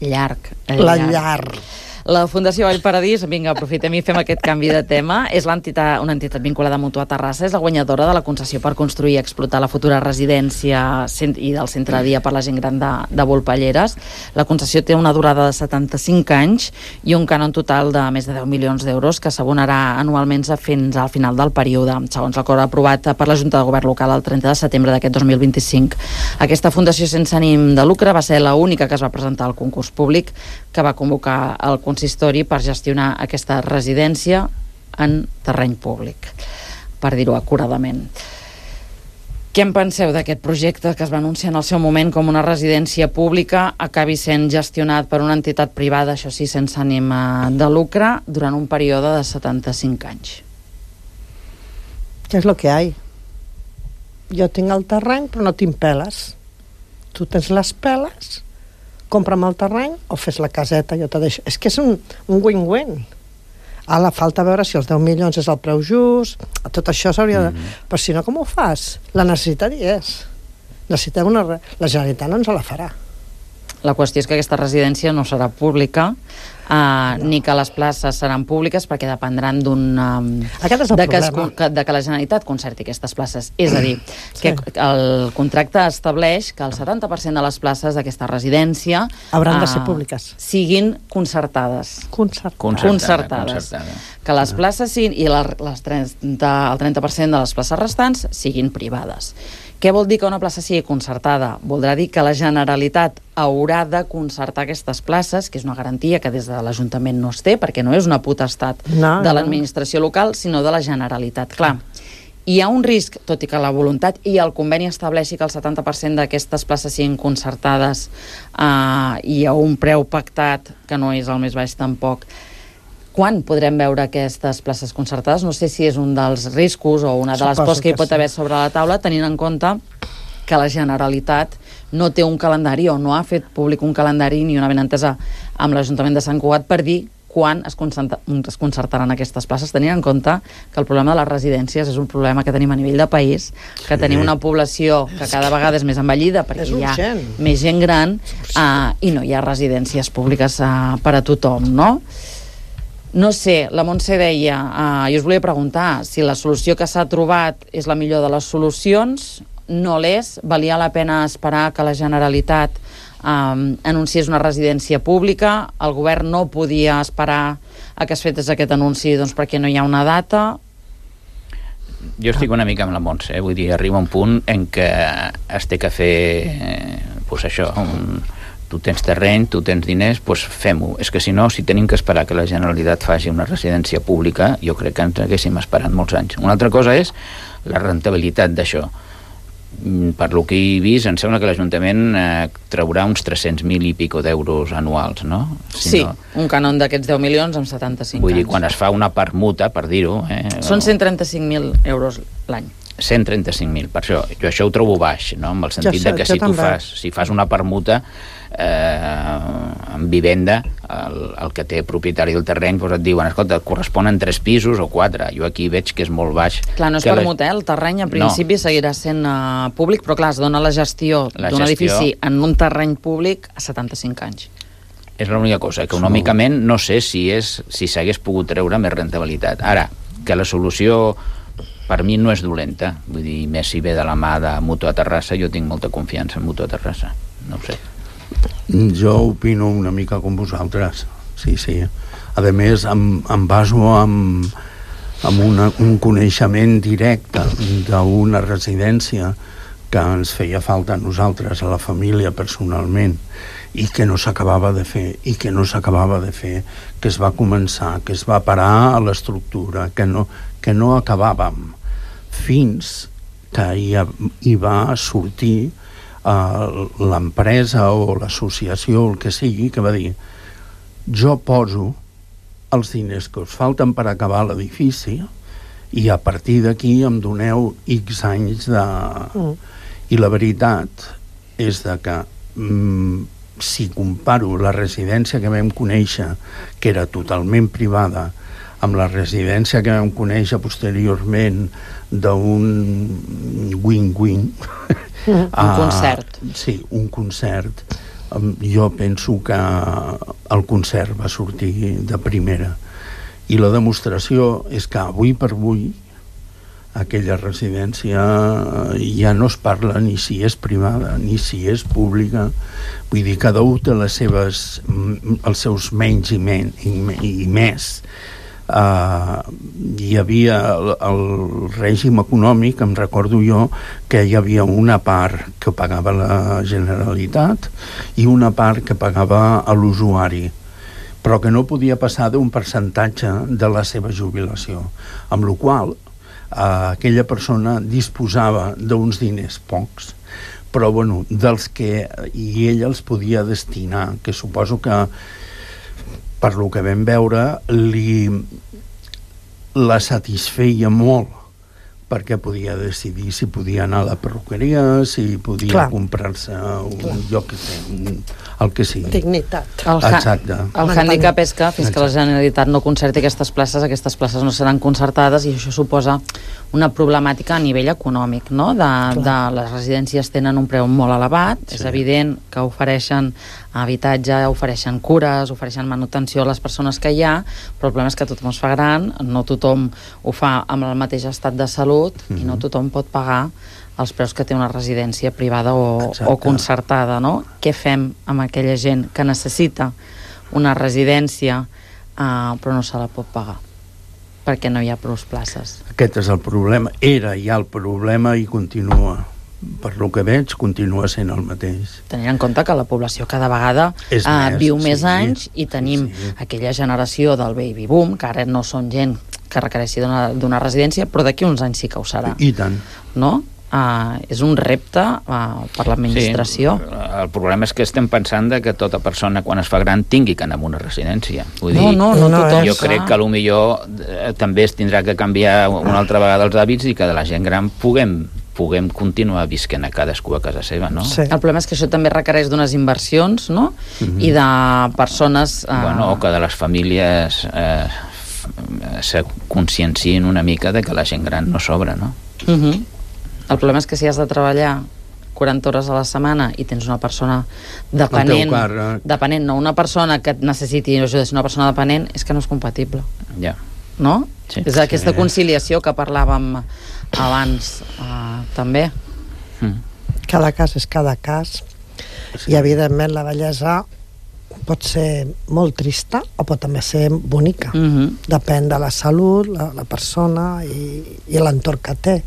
J: Llarg.
N: La
J: llarg.
N: llarg.
J: La Fundació Vall Paradís, vinga, aprofitem i fem aquest canvi de tema. És l'entitat, una entitat vinculada a Mutua Terrassa, és la guanyadora de la concessió per construir i explotar la futura residència i del centre de dia per la gent gran de, de Volpelleres. La concessió té una durada de setanta-cinc anys i un cànon total de més de deu milions d'euros que s'abonarà anualment fins al final del període, segons l'acord aprovat per la Junta de Govern Local el trenta de setembre d'aquest dos mil vint-i-cinc. Aquesta fundació sense ànim de lucre va ser l'única que es va presentar al concurs públic que va convocar el consistori per gestionar aquesta residència en terreny públic, per dir-ho acuradament. Què en penseu d'aquest projecte que es va anunciar en el seu moment com una residència pública acabi sent gestionat per una entitat privada, això sí, sense ànim de lucre, durant un període de setanta-cinc anys?
N: Què és lo que hay? Jo tinc el terreny però no tinc peles. Tu tens les peles, compra'm el terreny o fes la caseta, jo te deixo. És que és un, un win-win. Ara falta veure si els deu milions és el preu just, tot això s'hauria de... Mm-hmm. Però si no, com ho fas? La necessitat hi és. Necessitem una... La Generalitat no ens la farà.
J: La qüestió és que aquesta residència no serà pública, uh, no. ni que les places seran públiques, perquè dependran d'un... Um,
N: Aquest és el
J: de que, es,
N: problema.
J: de que la Generalitat concerti aquestes places. És a dir, que sí. el contracte estableix que el setanta per cent de les places d'aquesta residència
N: hauran de
J: uh,
N: ser públiques.
J: Siguin concertades.
N: Concertades.
J: Concertades.
O: Concertada.
J: Que les places siguin, i la, les trenta, el trenta per cent de les places restants siguin privades. Què vol dir que una plaça sigui concertada? Voldrà dir que la Generalitat haurà de concertar aquestes places, que és una garantia que des de l'Ajuntament no es té, perquè no és una potestat
N: no,
J: de l'administració local, sinó de la Generalitat. Clar, hi ha un risc, tot i que la voluntat i el conveni estableixi que el setanta per cent d'aquestes places siguin concertades eh, i a un preu pactat, que no és el més baix tampoc. Quan podrem veure aquestes places concertades? No sé si és un dels riscos o una de les pors que hi pot haver sobre la taula, tenint en compte que la Generalitat no té un calendari o no ha fet públic un calendari ni una benentesa amb l'Ajuntament de Sant Cugat per dir quan es, es concertaran aquestes places, tenint en compte que el problema de les residències és un problema que tenim a nivell de país, que sí. tenim una població que cada vegada és més envellida perquè hi ha més gent gran uh, i no hi ha residències públiques uh, per a tothom, no? No sé, la Montse deia, uh, jo us volia preguntar si la solució que s'ha trobat és la millor de les solucions, no l'és, valia la pena esperar que la Generalitat um, anunciés una residència pública, el govern no podia esperar a que es fetes aquest anunci doncs, perquè no hi ha una data.
O: Jo estic una mica amb la Montse, eh? Vull dir, arriba un punt en què es té que fer, eh, pues això, un... tu tens terreny, tu tens diners, doncs fem-ho. És que si no, si tenim que esperar que la Generalitat faci una residència pública, jo crec que ens haguéssim esperat molts anys. Una altra cosa és la rentabilitat d'això. Per lo que he vist, em sembla que l'Ajuntament eh, traurà uns tres-cents mil i pico d'euros anuals, no? Si
J: sí,
O: no...
J: un cànon d'aquests deu milions amb setanta-cinc
O: Vull
J: anys.
O: dir, quan es fa una permuta, per dir-ho... Eh,
J: Són cent trenta-cinc mil euros l'any.
O: cent trenta-cinc mil, per això, jo això ho trobo baix, no? En el sentit
N: sé,
O: de que si tu fas, si fas una permuta eh, en vivenda, el, el que té propietari del terreny doncs et diuen, escolta, et corresponen tres pisos o quatre, jo aquí veig que és molt baix.
J: Clar, no és permuta, la... el terreny a principi no. seguirà sent uh, públic, però clar, es dona la gestió d'un edifici en un terreny públic a setanta-cinc anys.
O: És l'única cosa, econòmicament no sé si és si s'hagués pogut treure més rentabilitat. Ara, que la solució per mi no és dolenta, vull dir, més si ve de la mà de Mutua Terrassa, jo tinc molta confiança en Mutua Terrassa, no ho sé.
L: Jo opino una mica com vosaltres, sí, sí. A més, em, em baso en, en una, un coneixement directe d'una residència que ens feia falta a nosaltres, a la família personalment, i que no s'acabava de fer, i que no s'acabava de fer, que es va començar, que es va parar a l'estructura, que no, que no acabàvem, fins que hi, hi va sortir uh, l'empresa o l'associació, el que sigui, que va dir: jo poso els diners que us falten per acabar l'edifici i a partir d'aquí em doneu X anys de... Mm. I la veritat és de que mm, si comparo la residència que vam conèixer, que era totalment privada, amb la residència que vam conèixer posteriorment d'un wing-wing,
J: un concert.
L: Uh, sí, un concert. Um, jo penso que el concert va sortir de primera. I la demostració és que avui per avui aquella residència ja no es parla ni si és privada ni si és pública. Vull dir, cada un té les seves, els seus menys i, men, i, i més. Uh, hi havia el, el règim econòmic, em recordo jo que hi havia una part que pagava la Generalitat i una part que pagava a l'usuari, però que no podia passar d'un percentatge de la seva jubilació, amb la qual uh, aquella persona disposava d'uns diners pocs, però bueno, dels que i ell els podia destinar, que suposo que per lo que vam veure li la satisfeia molt, perquè podia decidir si podia anar a la perruqueria, si podia Clar. comprar-se un Clar. lloc que té, un, el que sigui.
N: Dignitat.
J: El,
L: Exacte.
J: el hàndicap és que fins Exacte. que la Generalitat no concerti aquestes places, aquestes places no seran concertades i això suposa una problemàtica a nivell econòmic, no? De, de les residències tenen un preu molt elevat, sí. És evident que ofereixen habitatge, ofereixen cures, ofereixen manutenció a les persones que hi ha, però el problema és que tothom es fa gran, no tothom ho fa amb el mateix estat de salut mm-hmm. i no tothom pot pagar els preus que té una residència privada o, o concertada, no? Què fem amb aquella gent que necessita una residència uh, però no se la pot pagar perquè no hi ha prou places?
L: Aquest és el problema, era ja el problema i continua, per lo que veig continua sent el mateix.
J: Tenint en compte que la població cada vegada uh, més, viu més sí, anys i tenim sí. aquella generació del baby boom, que ara no són gent que requereixi d'una residència, però d'aquí uns anys sí que ho serà.
L: I tant.
J: No? Uh, és un repte uh, per l'administració.
O: Sí, el problema és que estem pensant de que tota persona quan es fa gran tingui que anar a una residència. Vull
J: no,
O: dir,
J: no, no, no
O: jo
J: és,
O: crec que potser eh, també es tindrà que canviar una altra vegada els hàbits i que de la gent gran puguem puguem continuar visquent a cadascú a casa seva, no?
J: Sí. El problema és que això també requereix d'unes inversions, no? Mm-hmm. I de persones...
O: Uh... Bueno, o que de les famílies eh, se consciencien una mica de que la gent gran no sobra, no?
J: Mm-hmm. El problema és que si has de treballar quaranta hores a la setmana i tens una persona dependent, dependent, no una persona que et necessiti ajuda, sinó una persona dependent, és que no és compatible.
O: Ja.
J: No?
O: Sí.
J: És aquesta sí. conciliació que parlàvem abans uh, també.
N: Mm. Cada cas és cada cas sí. i evidentment la bellesa pot ser molt trista o pot també ser bonica. Mm-hmm. Depèn de la salut, la, la persona i, i l'entorn que té.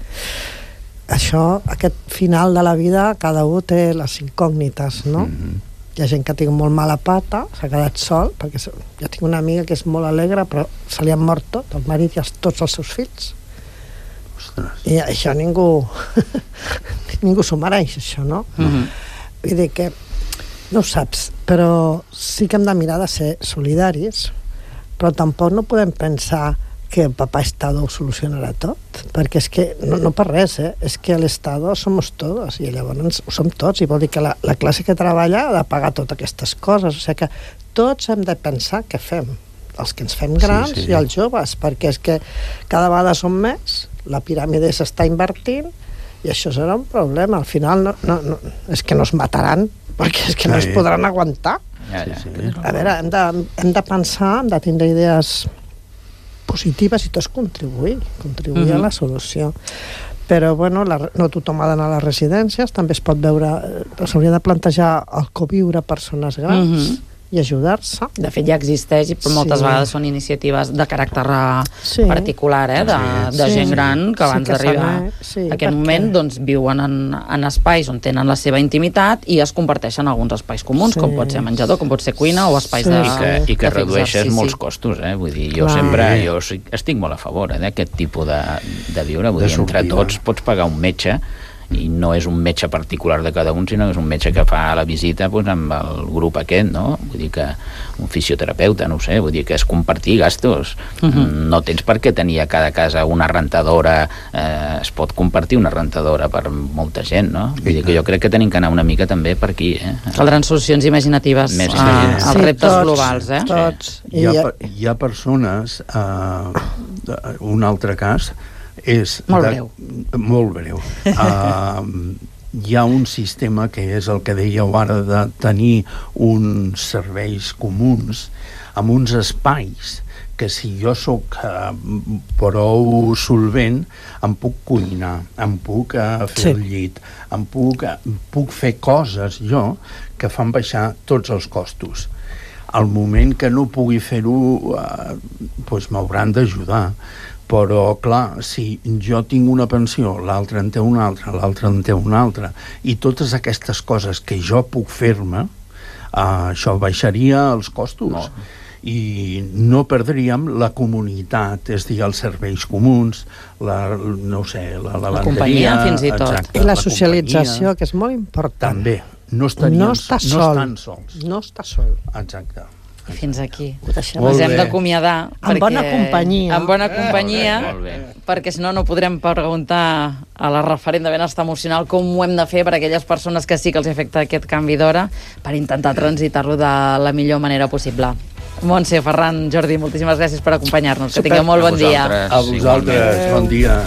N: Això, aquest final de la vida, cada un té les incògnites, no? Mm-hmm. Hi ha gent que tinc molt mala pata, s'ha quedat sol, perquè jo tinc una amiga que és molt alegre, però se li han mort tot, el marit i els, tots els seus fills. Ostres. I això ningú ningú s'ho mereix, això, no? Mm-hmm. Vull dir que no ho saps, però sí que hem de mirar de ser solidaris, però tampoc no podem pensar que el papá Estado ho solucionarà tot, perquè és que, no, no per res, eh? És que l'Estado somos todos, i llavors ho som tots, i vol dir que la, la classe que treballa ha de pagar totes aquestes coses, o sigui que tots hem de pensar què fem, els que ens fem grans sí, sí. i els joves, perquè és que cada vegada som més, la piràmide s'està invertint, i això serà un problema, al final no, no, no, és que no es mataran, perquè és que no es podran aguantar.
O: Ja, ja. Sí, sí.
N: A veure, hem de, hem de pensar, hem de tindre idees positives i tots contribuir, contribuir uh-huh. a la solució. Però, bueno, la, no tothom ha d'anar a les residències, també es pot veure, s'hauria de plantejar el coviure a persones grans, uh-huh. i ajudar-se.
J: De fet, ja existeix, però moltes
N: Sí.
J: vegades són iniciatives de caràcter
N: Sí.
J: particular, eh? de, de
N: Sí.
J: gent gran que
N: Sí
J: abans
N: que
J: d'arribar
N: s'ha- sí,
J: a aquest
N: perquè-
J: moment doncs, viuen en, en espais on tenen la seva intimitat i es comparteixen alguns espais comuns,
N: Sí.
J: com pot ser menjador, com pot ser cuina o espais
N: Sí.
J: de
O: I que, i que
J: de fer
O: redueixes
J: exercici.
O: molts costos, eh? Vull dir, jo
N: Clar.
O: sempre jo estic molt a favor eh, d'aquest tipus de, de viure. Vull
L: De
O: dir, entre
L: sortida.
O: tots pots pagar un metge i no és un metge particular de cada un, sinó que és un metge que fa la visita doncs, amb el grup aquest, no? Vull dir que un fisioterapeuta, no ho sé, vull dir que és compartir gastos. Uh-huh. No tens per què tenir a cada casa una rentadora, eh, es pot compartir una rentadora per molta gent, no? Vull dir que jo crec que tenim que anar una mica també per aquí, eh?
J: Caldran solucions imaginatives
O: Més
J: a,
O: imaginatives.
J: als
N: Sí,
J: reptes
N: tots,
J: globals, eh?
N: Tots.
L: Hi ha, pe- hi ha persones, eh, un altre cas, és...
J: Molt
L: de,
J: breu.
L: Molt breu. Uh, hi ha un sistema que és el que dèieu ara de tenir uns serveis comuns amb uns espais que si jo sóc uh, prou solvent em puc cuinar, em puc uh, fer
N: Sí.
L: el llit, em puc, uh, puc fer coses jo que fan baixar tots els costos. Al moment que no pugui fer-ho eh, doncs m'hauran d'ajudar, però clar, si jo tinc una pensió, l'altre en té una altra, l'altre en té una altra, i totes aquestes coses que jo puc fer-me, eh, això baixaria els costos. No. I no perdríem la comunitat, és a dir, els serveis comuns, la, no ho sé, la lavanderia...
J: companyia, fins i tot.
L: Exacte,
N: I la
L: companyia.
N: socialització, que és molt important.
L: També. No estarien,
N: no està sol.
L: No estan sols.
N: No està sol.
L: Exacte.
J: I fins aquí.
N: Ho deixem.
J: Ens
L: Molt
J: hem
L: bé.
J: d'acomiadar.
N: En
J: perquè-
N: bona companyia.
J: En bona companyia,
O: Molt bé.
J: perquè si no, no podrem preguntar a la referent de benestar emocional com ho hem de fer per a aquelles persones que sí que els afecta aquest canvi d'hora per intentar transitar-lo de la millor manera possible. Montse, Ferran, Jordi, moltíssimes gràcies per acompanyar-nos. Que tingueu molt bon dia.
L: A vosaltres, bon dia.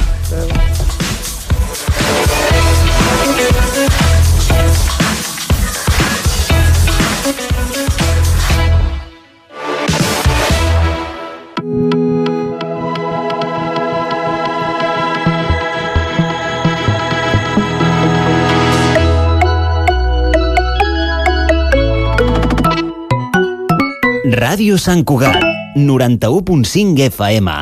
C: Ràdio Sant Cugat, noranta-u punt cinc F M.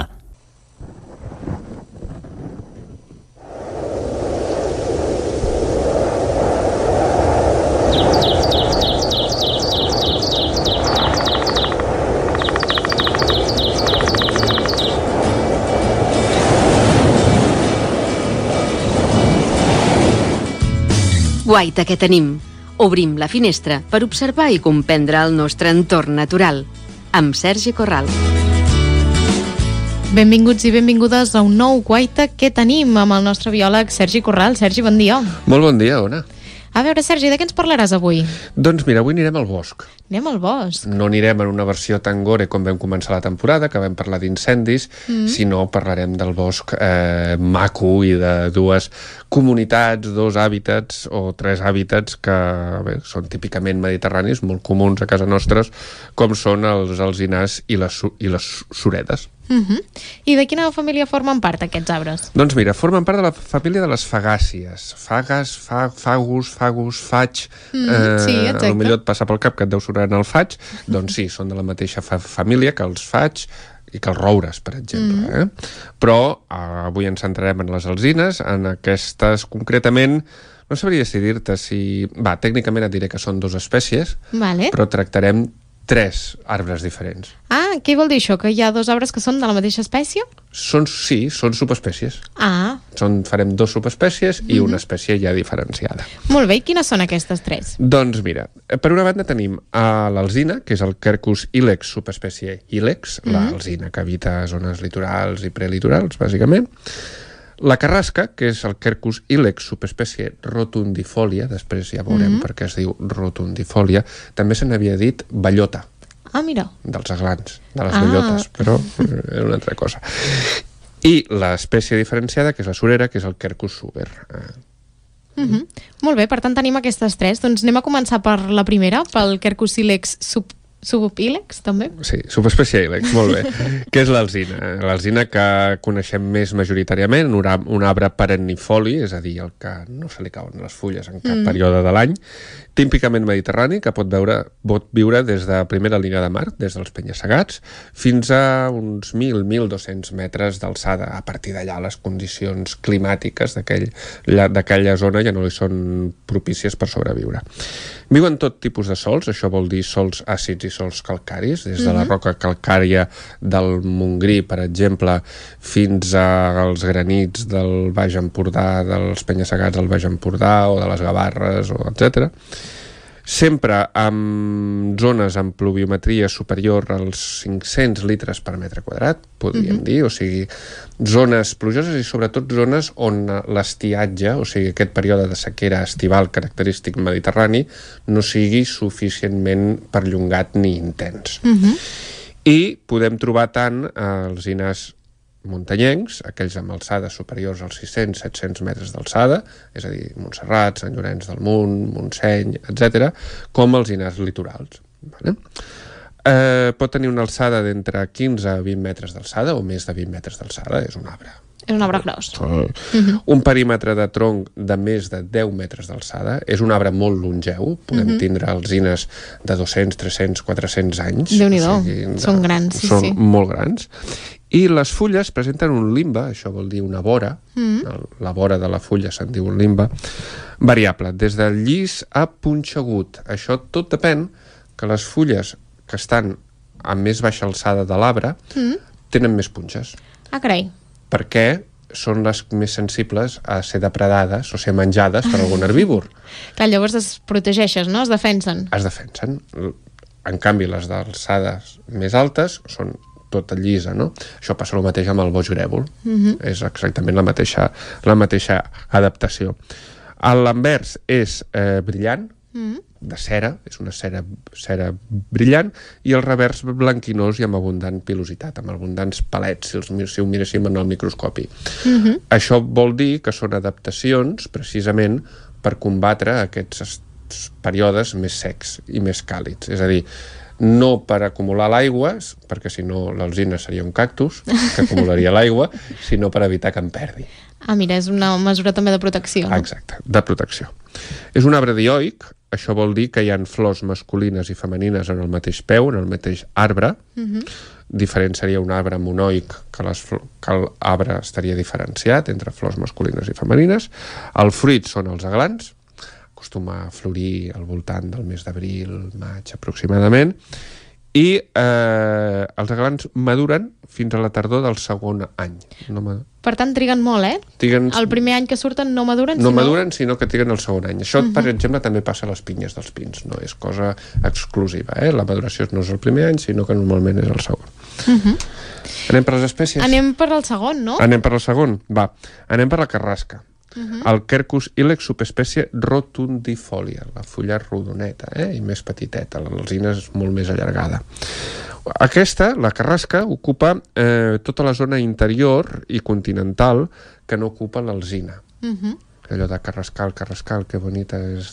P: Guaita que tenim. Obrim la finestra per observar i comprendre el nostre entorn natural. Amb Sergi Corral.
Q: Benvinguts i benvingudes a un nou Guaita que tenim amb el nostre biòleg Sergi Corral. Sergi, bon dia.
R: Molt bon dia, Ona.
Q: A veure, Sergi, de què ens parlaràs avui?
R: Doncs mira, avui anirem al bosc.
Q: Anem al bosc.
R: No anirem en una versió tan gore com vam començar la temporada, que vam parlar d'incendis,
Q: Mm.
R: sinó parlarem del bosc eh, maco i de dues comunitats, dos hàbitats o tres hàbitats que bé, són típicament mediterranis, molt comuns a casa nostra, com són els alzinars i les, su- i les suredes.
Q: Uh -huh. I de quina família formen part aquests arbres?
R: Doncs mira, formen part de la família de les fagàcies. Fagas, fa, fagus, fagus, faig...
Q: Mm,
R: eh,
Q: sí, exacte.
R: A lo millor et passa pel cap que et deu sonar en el faig. Doncs sí, són de la mateixa fa família que els faig i que els roures, per exemple.
Q: Mm.
R: Eh? Però eh, avui ens centrarem en les alzines, en aquestes concretament... No sabria si dir-te si... Va, tècnicament et diré que són dues espècies,
Q: Vale.
R: però tractarem tres arbres diferents.
Q: Ah, què vol dir això? Que hi ha dos arbres que són de la mateixa espècie?
R: Són, sí, són subespècies.
Q: Ah,
R: Són, farem dos subespècies i
Q: Mhm.
R: una espècie ja diferenciada.
Q: molt bé. I quines són aquestes tres?
R: Doncs mira, per una banda tenim a l'alzina, que és el Quercus ilex, subespècie ilex,
Q: Mhm.
R: l'alzina que habita zones litorals i prelitorals, bàsicament. La carrasca, que és el Quercus ilex, subespècie rotundifolia, després ja veurem
Q: Mhm.
R: per què es diu rotundifolia, també se n'havia dit bellota,
Q: Ah, mira.
R: dels aglans, de les
Q: Ah.
R: bellotes, però era una altra cosa. I l'espècie diferenciada, que és la surera, que és el Quercus suber. Eh,
Q: Uh -huh. Molt bé, per tant tenim aquestes tres. Doncs anem a començar per la primera, pel Quercus ilex sub subopílex, també?
R: Sí, subespècie ílex, molt bé. Què és l'alzina? L'alzina que coneixem més majoritàriament, un arbre perennifoli, és a dir, el que no se li cauen les fulles en cap mm. període de l'any, típicament mediterrani, que pot, veure, pot viure des de primera línia de mar, des dels penya-segats, fins a uns mil a mil dos-cents metres d'alçada. A partir d'allà, les condicions climàtiques d'aquella zona ja no li són propícies per sobreviure. Viuen tot tipus de sols, això vol dir sols àcids i sols calcaris, des de la roca calcària del Montgrí, per exemple, fins als granits del Baix Empordà, dels penya-segats del Baix Empordà o de les Gavarres, etcètera. Sempre amb zones amb pluviometria superior als cinc-cents litres per metre quadrat, podríem mm-hmm. dir, o sigui, zones plujoses i sobretot zones on l'estiatge, o sigui, aquest període de sequera estival característic mediterrani, no sigui suficientment perllongat ni intens. Mm-hmm. I podem trobar tant alzines muntanyencs, aquells amb alçades superiors als sis-cents a set-cents metres d'alçada, és a dir, Montserrat, Sant Llorenç del Munt, Montseny, etcètera, com alzines litorals. Vale? Eh, pot tenir una alçada d'entre quinze a vint metres d'alçada, o més de vint metres d'alçada, és un arbre.
Q: És un arbre gros.
R: Uh-huh. Un perímetre de tronc de més de deu metres d'alçada, és un arbre molt longeu, podem uh-huh. tindre alzines de dos-cents, tres-cents, quatre-cents anys.
Q: Déu-n'hi-do, o sigui, són grans, sí,
R: són
Q: sí.
R: molt grans. I les fulles presenten un limbe, això vol dir una vora, mm. la vora de la fulla se'n diu un limbe, variable, des del llis a punxegut. Això tot depèn que les fulles que estan a més baixa alçada de l'arbre mm. tenen més punxes.
Q: Ah, carai.
R: Perquè són les més sensibles a ser depredades o ser menjades per algun herbívor.
Q: Clar, llavors es protegeixes, no? Es defensen.
R: Es defensen. En canvi, les d'alçades més altes són tota llisa, no? Això passa el mateix amb el boix grèvol. Uh-huh. És exactament la mateixa, la mateixa adaptació. L'anvers és eh, brillant, uh-huh. de cera, és una cera, cera brillant, i el revers blanquinós i amb abundant pilositat, amb abundants palets, si, els, si ho miréssim en el microscopi. Uh-huh. Això vol dir que són adaptacions, precisament, per combatre aquests períodes més secs i més càlids. És a dir, no per acumular l'aigua, perquè si no l'alzina seria un cactus, que acumularia l'aigua, sinó per evitar que en perdi.
Q: Ah, mira, és una mesura també de protecció. No?
R: Exacte, de protecció. És un arbre dioic, això vol dir que hi ha flors masculines i femenines en el mateix peu, en el mateix arbre. Uh-huh. Diferent seria un arbre monoic, que, les, que l'arbre estaria diferenciat entre flors masculines i femenines. El fruit són els aglans, acostuma a florir al voltant del mes d'abril, maig aproximadament, i eh, els aglans maduren fins a la tardor del segon any. No mad...
Q: Per tant, triguen molt, eh?
R: Triguen...
Q: El primer any que surten no maduren,
R: No
Q: sinó...
R: maduren, sinó que triguen el segon any. Això, uh-huh. per exemple, també passa a les pinyes dels pins, no és cosa exclusiva, eh? La maduració no és el primer any, sinó que normalment és el segon. Uh-huh. Anem per les espècies?
Q: Anem per el segon, no?
R: Anem per el segon? Va. Anem per la carrasca. Uh-huh. El Quercus ilex, subespècie rotundifolia, la fulla rodoneta, eh? I més petiteta, l'alzina és molt més allargada. Aquesta, la carrasca, ocupa eh, tota la zona interior i continental que no ocupa l'alzina. Uh-huh. Allò de Carrascal, Carrascal, que bonita és...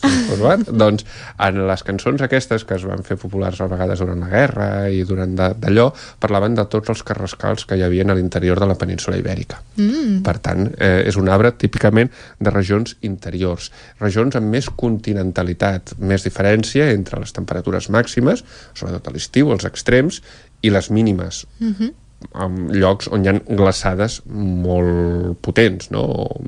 R: doncs en les cançons aquestes que es van fer populars a vegades durant la guerra i durant d'allò, parlaven de tots els carrascals que hi havia a l'interior de la península Ibèrica. Mm. Per tant, eh, és un arbre típicament de regions interiors, regions amb més continentalitat, més diferència entre les temperatures màximes, sobretot a l'estiu, els extrems, i les mínimes. Mm-hmm. En llocs on hi ha glaçades molt potents, no?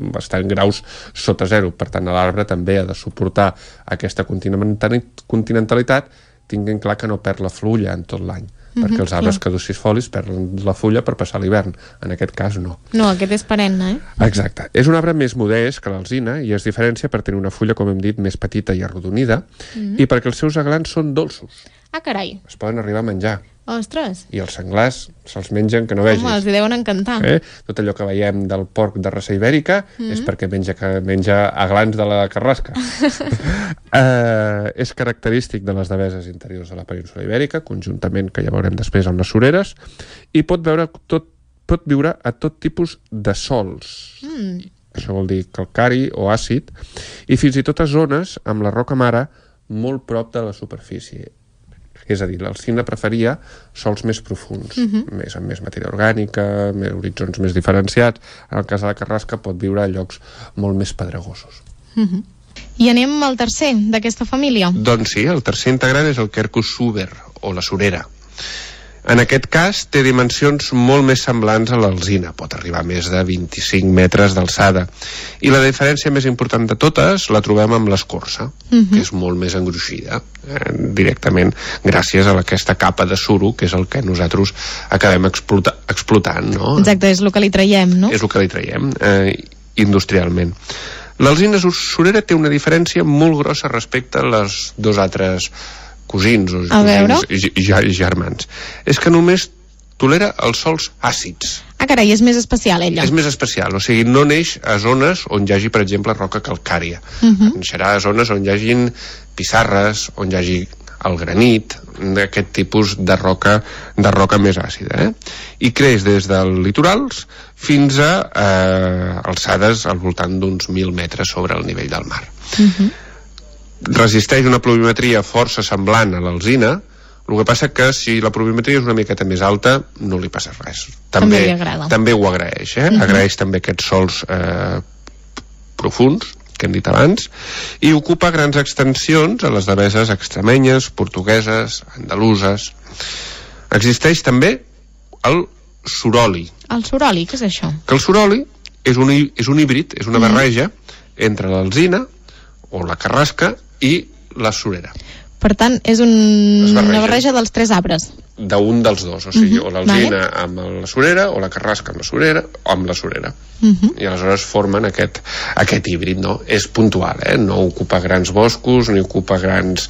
R: Bastant graus sota zero. Per tant, l'arbre també ha de suportar aquesta continentalitat, tinguent clar que no perd la fulla en tot l'any, mm-hmm, perquè els arbres clar. caducifolis perden la fulla per passar l'hivern. En aquest cas, no.
Q: No, aquest és perenne, eh?
R: Exacte. És un arbre més modest que l'alzina i es diferencia per tenir una fulla, com hem dit, més petita i arrodonida, mm-hmm. i perquè els seus aglans són dolços.
Q: Ah, carai.
R: Es poden arribar a menjar.
Q: Ostres.
R: I els senglars se'ls mengen que no vegis.
Q: Home, els hi deuen encantar.
R: Eh? Tot allò que veiem del porc de raça ibèrica mm-hmm. és perquè menja, que menja aglans de la carrasca. eh, és característic de les deveses interiors de la península Ibèrica, conjuntament, que ja veurem després, amb les sureres, i pot, veure tot, pot viure a tot tipus de sòls. Mm. Això vol dir calcari o àcid, i fins i tot a zones amb la roca mare molt prop de la superfície. És a dir, l'alzina preferia sòls més profunds, uh-huh. més, amb més matèria orgànica, més horitzons més diferenciats. En el cas de la carrasca pot viure a llocs molt més pedregosos.
Q: Uh-huh. I anem al tercer d'aquesta família?
R: Doncs sí, el tercer integrant és el Quercus suber, o la surera. En aquest cas té dimensions molt més semblants a l'alzina, pot arribar a més de vint-i-cinc metres d'alçada. I la diferència més important de totes la trobem amb l'escorça, uh-huh. que és molt més engruixida, eh, directament gràcies a aquesta capa de suro, que és el que nosaltres acabem explota, explotant. No?
Q: Exacte, és el que li traiem, no?
R: És el que li traiem, eh, industrialment. L'alzina surera té una diferència molt grossa respecte a les dos altres cosins o cosins germans. És que només tolera els sòls àcids.
Q: Ah, carai, és més especial, ella.
R: És més especial, o sigui, no neix a zones on hi hagi, per exemple, roca calcària. Uh-huh. Neixerà a zones on hi hagin pissarres, on hi hagi el granit, d'aquest tipus de roca, de roca més àcida. Eh? I creix des dels litorals fins a eh, alçades al voltant d'uns mil metres sobre el nivell del mar. Uh-huh. Resisteix una pluviometria força semblant a l'alzina. El que passa que si la pluviometria és una miqueta més alta no li passa res. També,
Q: també li agrada.
R: També ho agraeix, eh? Uh-huh. Agraeix també aquests sòls eh, profunds que hem dit abans, i ocupa grans extensions a les deveses extremenyes, portugueses, andaluses. Existeix també el suroli.
Q: El suroli, què és això?
R: Que el suroli és un, és un híbrid, és una barreja uh-huh. entre l'alzina o la carrasca i la surera.
Q: Per tant, és un... una barreja dels tres arbres.
R: D'un dels dos, o sigui, uh-huh. o l'alzina
Q: vale.
R: amb la surera, o la carrasca amb la surera, o amb la surera.
Q: Uh-huh.
R: I aleshores formen aquest, aquest híbrid, no? És puntual, eh? No ocupa grans boscos, ni ocupa grans,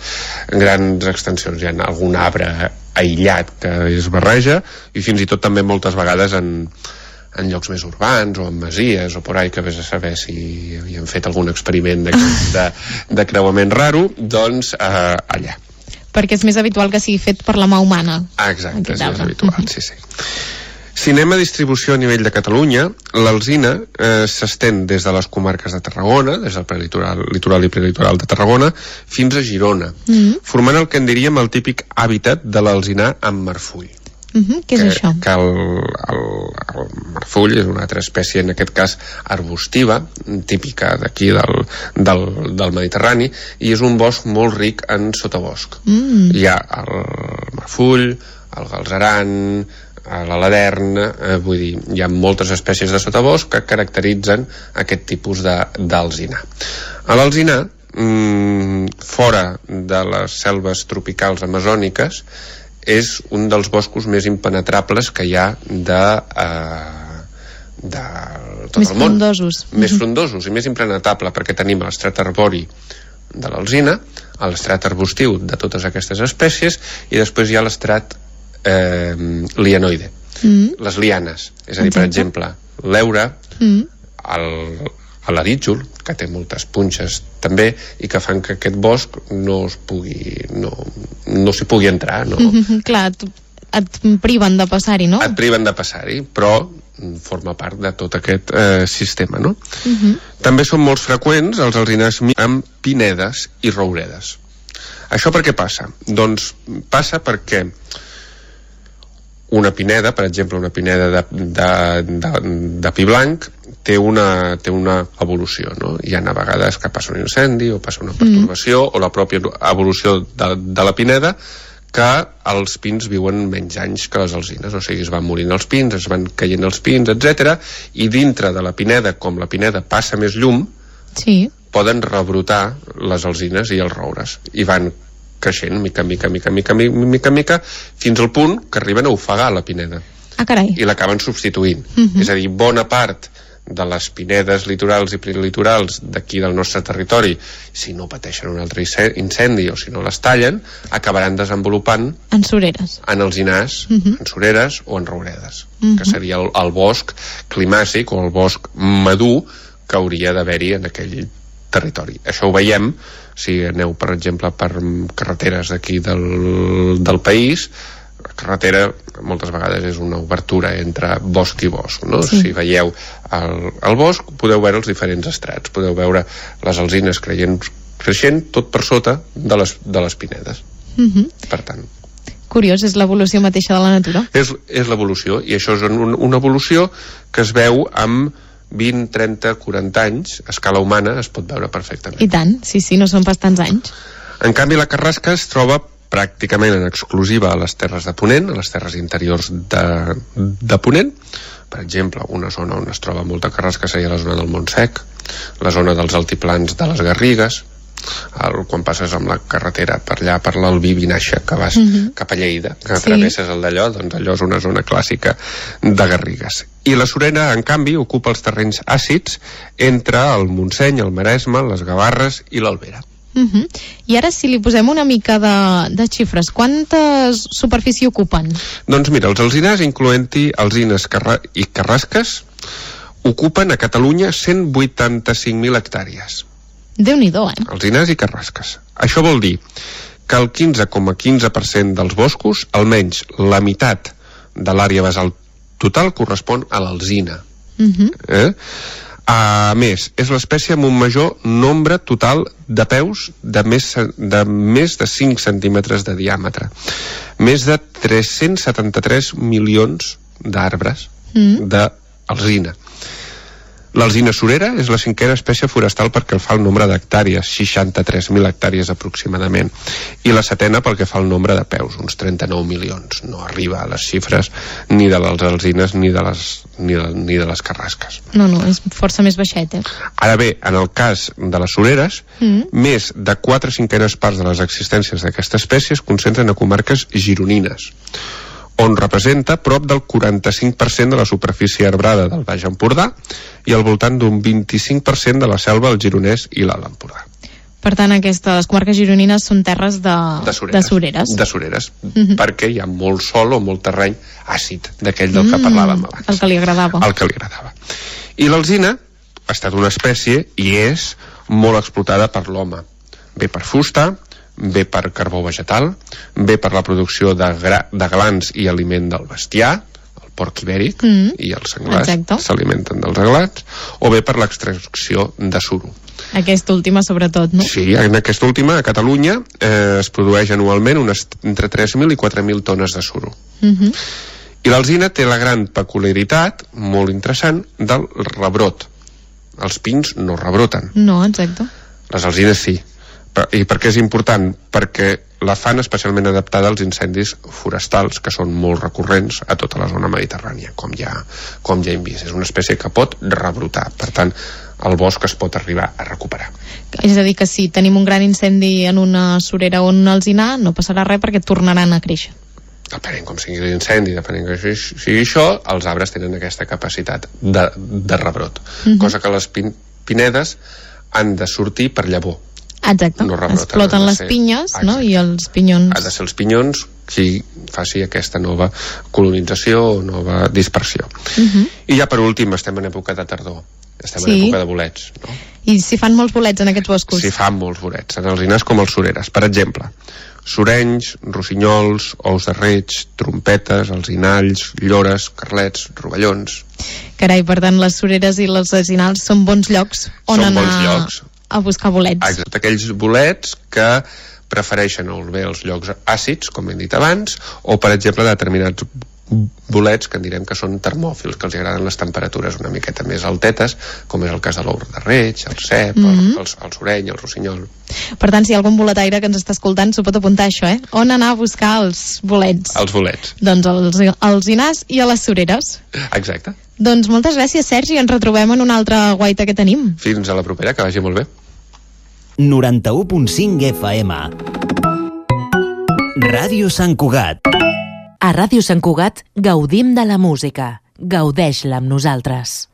R: grans extensions. Hi ha algun arbre aïllat que es barreja, i fins i tot també moltes vegades en... en llocs més urbans o en masies o por ahí, que vés a saber si havien fet algun experiment de, de, de creuament raro, doncs eh, allà.
Q: Perquè és més habitual que sigui fet per la mà humana.
R: Ah, exacte, és més habitual, uh-huh. sí, sí. Si anem a distribució a nivell de Catalunya, l'alzina eh, s'estén des de les comarques de Tarragona, des del prelitoral, litoral i prelitoral de Tarragona, fins a Girona, uh-huh. formant el que en diríem el típic hàbitat de l'alzinar amb marfull.
Q: Uh-huh. Què és
R: que,
Q: això?
R: Que el, el, el marfull és una altra espècie, en aquest cas arbustiva, típica d'aquí del, del, del Mediterrani, i és un bosc molt ric en sotabosc. Mm. Hi ha el marfull, el galzeran, l'aladern, eh, vull dir, hi ha moltes espècies de sotabosc que caracteritzen aquest tipus d'alzina. A l'alzina, mm, fora de les selves tropicals amazòniques, és un dels boscos més impenetrables que hi ha de, eh, de tot
Q: més
R: el món.
Q: Frondosos.
R: Més frondosos i més impenetrable, perquè tenim l'estrat arbori de l'alzina, l'estrat arbustiu de totes aquestes espècies, i després hi ha l'estrat eh, lianoide, mm. les lianes. És a dir, per exemple, l'heura, mm. el, l'arítjol, que té moltes punxes també, i que fan que aquest bosc no es pugui no, no s'hi pugui entrar, no?
Q: Mm-hmm, clar, et priven de passar-hi, no?
R: Et priven de passar-hi, però forma part de tot aquest eh, sistema, no? Mm-hmm. També són molt freqüents els alzinars amb pinedes i rouredes. Això per què passa? Doncs passa perquè una pineda, per exemple, una pineda de, de, de, de pi blanc, té una, té una evolució, no? Hi ha a vegades que passa un incendi o passa una pertorbació, mm. o la pròpia evolució de, de la pineda, que els pins viuen menys anys que les alzines, o sigui, es van morint els pins, es van caient els pins, etcètera, i dintre de la pineda, com la pineda passa més llum,
Q: sí.
R: poden rebrotar les alzines i els roures, i van creixent mica, mica, mica, mica, mica, mica, mica, fins al punt que arriben a ofegar la pineda.
Q: Ah, carai.
R: I l'acaben substituint.
Q: Uh-huh.
R: És a dir, bona part de les pinedes litorals i prelitorals d'aquí del nostre territori, si no pateixen un altre incendi o si no les tallen, acabaran desenvolupant
Q: en sureres,
R: en alzinars, uh-huh. en sureres o en rouredes, uh-huh. que seria el, el bosc climàcic o el bosc madur que hauria d'haver-hi en aquell territori. Això ho veiem si aneu, per exemple, per carreteres d'aquí del, del país. La carretera moltes vegades és una obertura entre bosc i bosc, no? Sí. Si veieu el, el bosc, podeu veure els diferents estrats, podeu veure les alzines creient, creixent tot per sota de les, de les pinedes. Uh-huh. Per tant,
Q: Curiós, és l'evolució mateixa de la natura.
R: És, és l'evolució, i això és un, una evolució que es veu amb vint, trenta, quaranta anys, a escala humana es pot veure perfectament.
Q: I tant, sí, sí, no són pas tants anys.
R: En canvi, la carrasca es troba pràcticament en exclusiva a les terres de Ponent, a les terres interiors de, de Ponent. Per exemple, una zona on es troba molta carrasca seria la zona del Montsec, la zona dels altiplans de les Garrigues, el, quan passes amb la carretera per allà, per l'Albí Vinaixa, que vas uh-huh. cap a Lleida, que sí. travesses el d'allò, doncs allò és una zona clàssica de Garrigues. I la Surera, en canvi, ocupa els terrenys àcids entre el Montseny, el Maresme, les Gavarres i l'Albera.
Q: Uh-huh. I ara, si li posem una mica de, de xifres, quanta superfície ocupen?
R: Doncs mira, els alzinars, incloent-hi alzines carra i carrasques, ocupen a Catalunya cent vuitanta-cinc mil hectàrees.
Q: Déu-n'hi-do, eh?
R: Alzinars i carrasques. Això vol dir que el quinze coma quinze per cent dels boscos, almenys la meitat de l'àrea basal total, correspon a l'alzina.
Q: Uh-huh.
R: Eh? A més, és l'espècie amb un major nombre total de peus de més de, més de cinc centímetres de diàmetre. Més de tres-cents setanta-tres milions d'arbres mm. d'alzina. L'alzina surera és la cinquena espècie forestal perquè fa el nombre d'hectàrees, seixanta-tres mil hectàrees aproximadament, i la setena pel que fa el nombre de peus, uns trenta-nou milions. No arriba a les xifres ni de les alzines ni de les, ni de, ni de les carrasques.
Q: No, no, és força més baixet, eh?
R: Ara bé, en el cas de les sureres, mm. més de quatre cinquenes parts de les existències d'aquesta espècie es concentren a comarques gironines, on representa prop del quaranta-cinc per cent de la superfície arbrada del Baix Empordà i al voltant d'un vint-i-cinc per cent de la selva al Gironès i l'Alt Empordà.
Q: Per tant, aquestes comarques gironines són terres de,
R: de sureres,
Q: de sureres.
R: De sureres, mm-hmm. perquè hi ha molt sol o molt terreny àcid, d'aquell del que mm, parlàvem abans.
Q: El que li agradava.
R: El que li agradava. I l'alzina ha estat una espècie, i és, molt explotada per l'home. Bé per fusta, bé per carbó vegetal, bé per la producció de, gra, de glans i aliment del bestiar, el porc ibèric mm. i els senglars s'alimenten dels glans, o bé per l'extracció de suro.
Q: Aquesta última sobretot, no?
R: Sí, en aquesta última, a Catalunya, eh, es produeix anualment unes entre tres mil i quatre mil tones de suro.
Q: Mm-hmm.
R: I l'alzina té la gran peculiaritat, molt interessant, del rebrot. Els pins no rebroten.
Q: No, exacte.
R: Les alzines sí. I per què és important? Perquè la fan especialment adaptada als incendis forestals, que són molt recurrents a tota la zona mediterrània, com ja, com ja hem vist. És una espècie que pot rebrotar, per tant, el bosc es pot arribar a recuperar.
Q: És a dir, que si tenim un gran incendi en una surera o un alzinar, no passarà res perquè tornaran a créixer.
R: Depenent com sigui l'incendi, depenent que sigui això, els arbres tenen aquesta capacitat de, de rebrot, mm-hmm. cosa que les pin pinedes han de sortir per llavor.
Q: Exacte,
R: no rebroten,
Q: exploten les pinyes, no? I els pinyons...
R: Ha de ser els pinyons qui faci aquesta nova colonització o nova dispersió.
Q: Uh-huh.
R: I ja per últim, estem en època de tardor, estem
Q: sí.
R: en època de bolets, no?
Q: I si fan molts bolets en aquests boscos?
R: Si fan molts bolets, en els alzinars com els sureres. Per exemple, surenys, rossinyols, ous de reig, trompetes, alzinalls, llores, carlets, rovellons...
Q: Carai, per tant, les sureres i els alzinals són bons llocs on
R: són
Q: anar...
R: bons llocs.
Q: A buscar bolets.
R: Exacte, aquells bolets que prefereixen o bé els llocs àcids, com hem dit abans, o per exemple determinats bolets que en direm que són termòfils, que els agraden les temperatures una miqueta més altetes, com és el cas de l'ou de reig, el cep, mm-hmm. el, el, el soreny, el rossinyol.
Q: Per tant, si hi ha algun boletaire que ens està escoltant, s'ho pot apuntar això, eh? On anar a buscar els bolets?
R: Els bolets.
Q: Doncs els alzinars i a les sureres.
R: Exacte.
Q: Doncs moltes gràcies, Sergi, ens retrobem en una altra guaita que tenim.
R: Fins a la propera, que vagi molt bé.
C: noranta-u punt cinc F M. Ràdio Sant Cugat.
S: A Ràdio Sant Cugat gaudim de la música. Gaudeix-la amb nosaltres.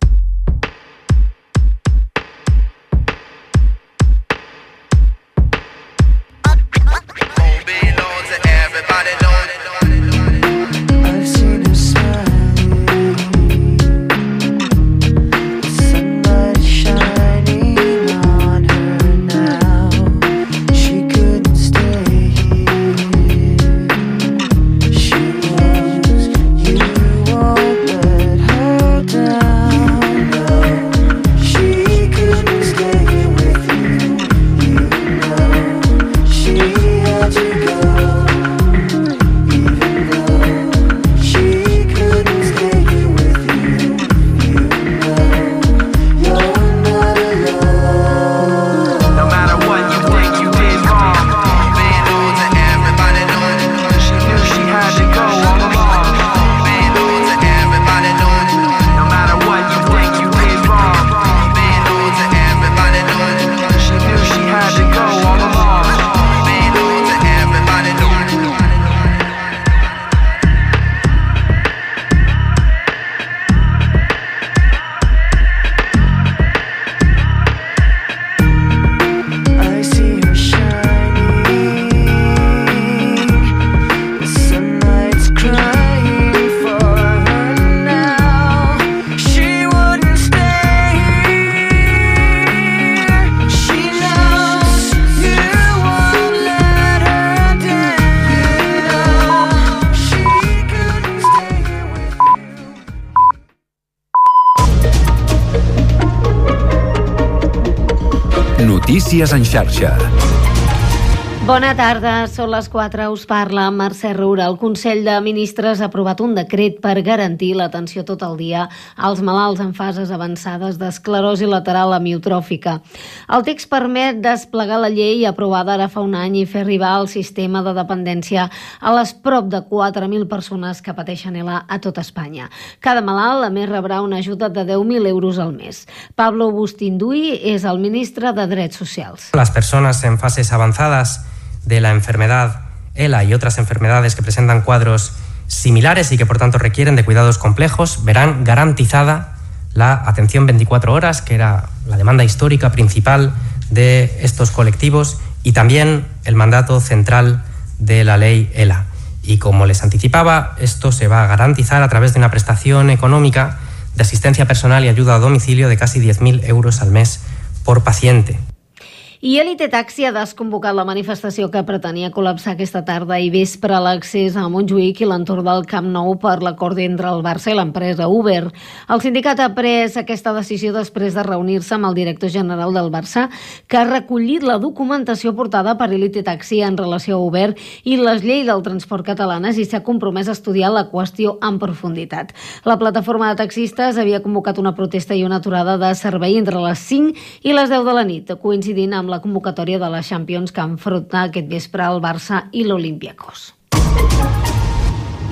T: Down. Notícies en xarxa.
U: Bona tarda, són les quatre, us parla Mercè Roura. El Consell de Ministres ha aprovat un decret per garantir l'atenció tot el dia als malalts en fases avançades d'esclerosi lateral amiotròfica. El text permet desplegar la llei aprovada ara fa un any i fer arribar el sistema de dependència a les prop de quatre mil persones que pateixen E L A a tot Espanya. Cada malalt, a més, rebrà una ajuda de deu mil euros al mes. Pablo Bustinduy és el ministre de Drets Socials.
V: Les persones en fases avançades de la enfermedad E L A y otras enfermedades que presentan cuadros similares y que por tanto requieren de cuidados complejos verán garantizada la atención veinticuatro horas, que era la demanda histórica principal de estos colectivos, y también el mandato central de la ley E L A. Y como les anticipaba, esto se va a garantizar a través de una prestación económica de asistencia personal y ayuda a domicilio de casi diez mil euros al mes por paciente.
U: I Elite Taxi ha desconvocat la manifestació que pretenia col·lapsar aquesta tarda i vespre a l'accés a Montjuïc i l'entorn del Camp Nou per l'acord entre el Barça i l'empresa Uber. El sindicat ha pres aquesta decisió després de reunir-se amb el director general del Barça, que ha recollit la documentació portada per Elite Taxi en relació a Uber i les lleis del transport catalanes i s'ha compromès a estudiar la qüestió en profunditat. La plataforma de taxistes havia convocat una protesta i una aturada de servei entre les cinc i les deu de la nit, coincidint amb la la convocatòria de la Champions que enfronta aquest vespre el Barça i l'Olympiacos.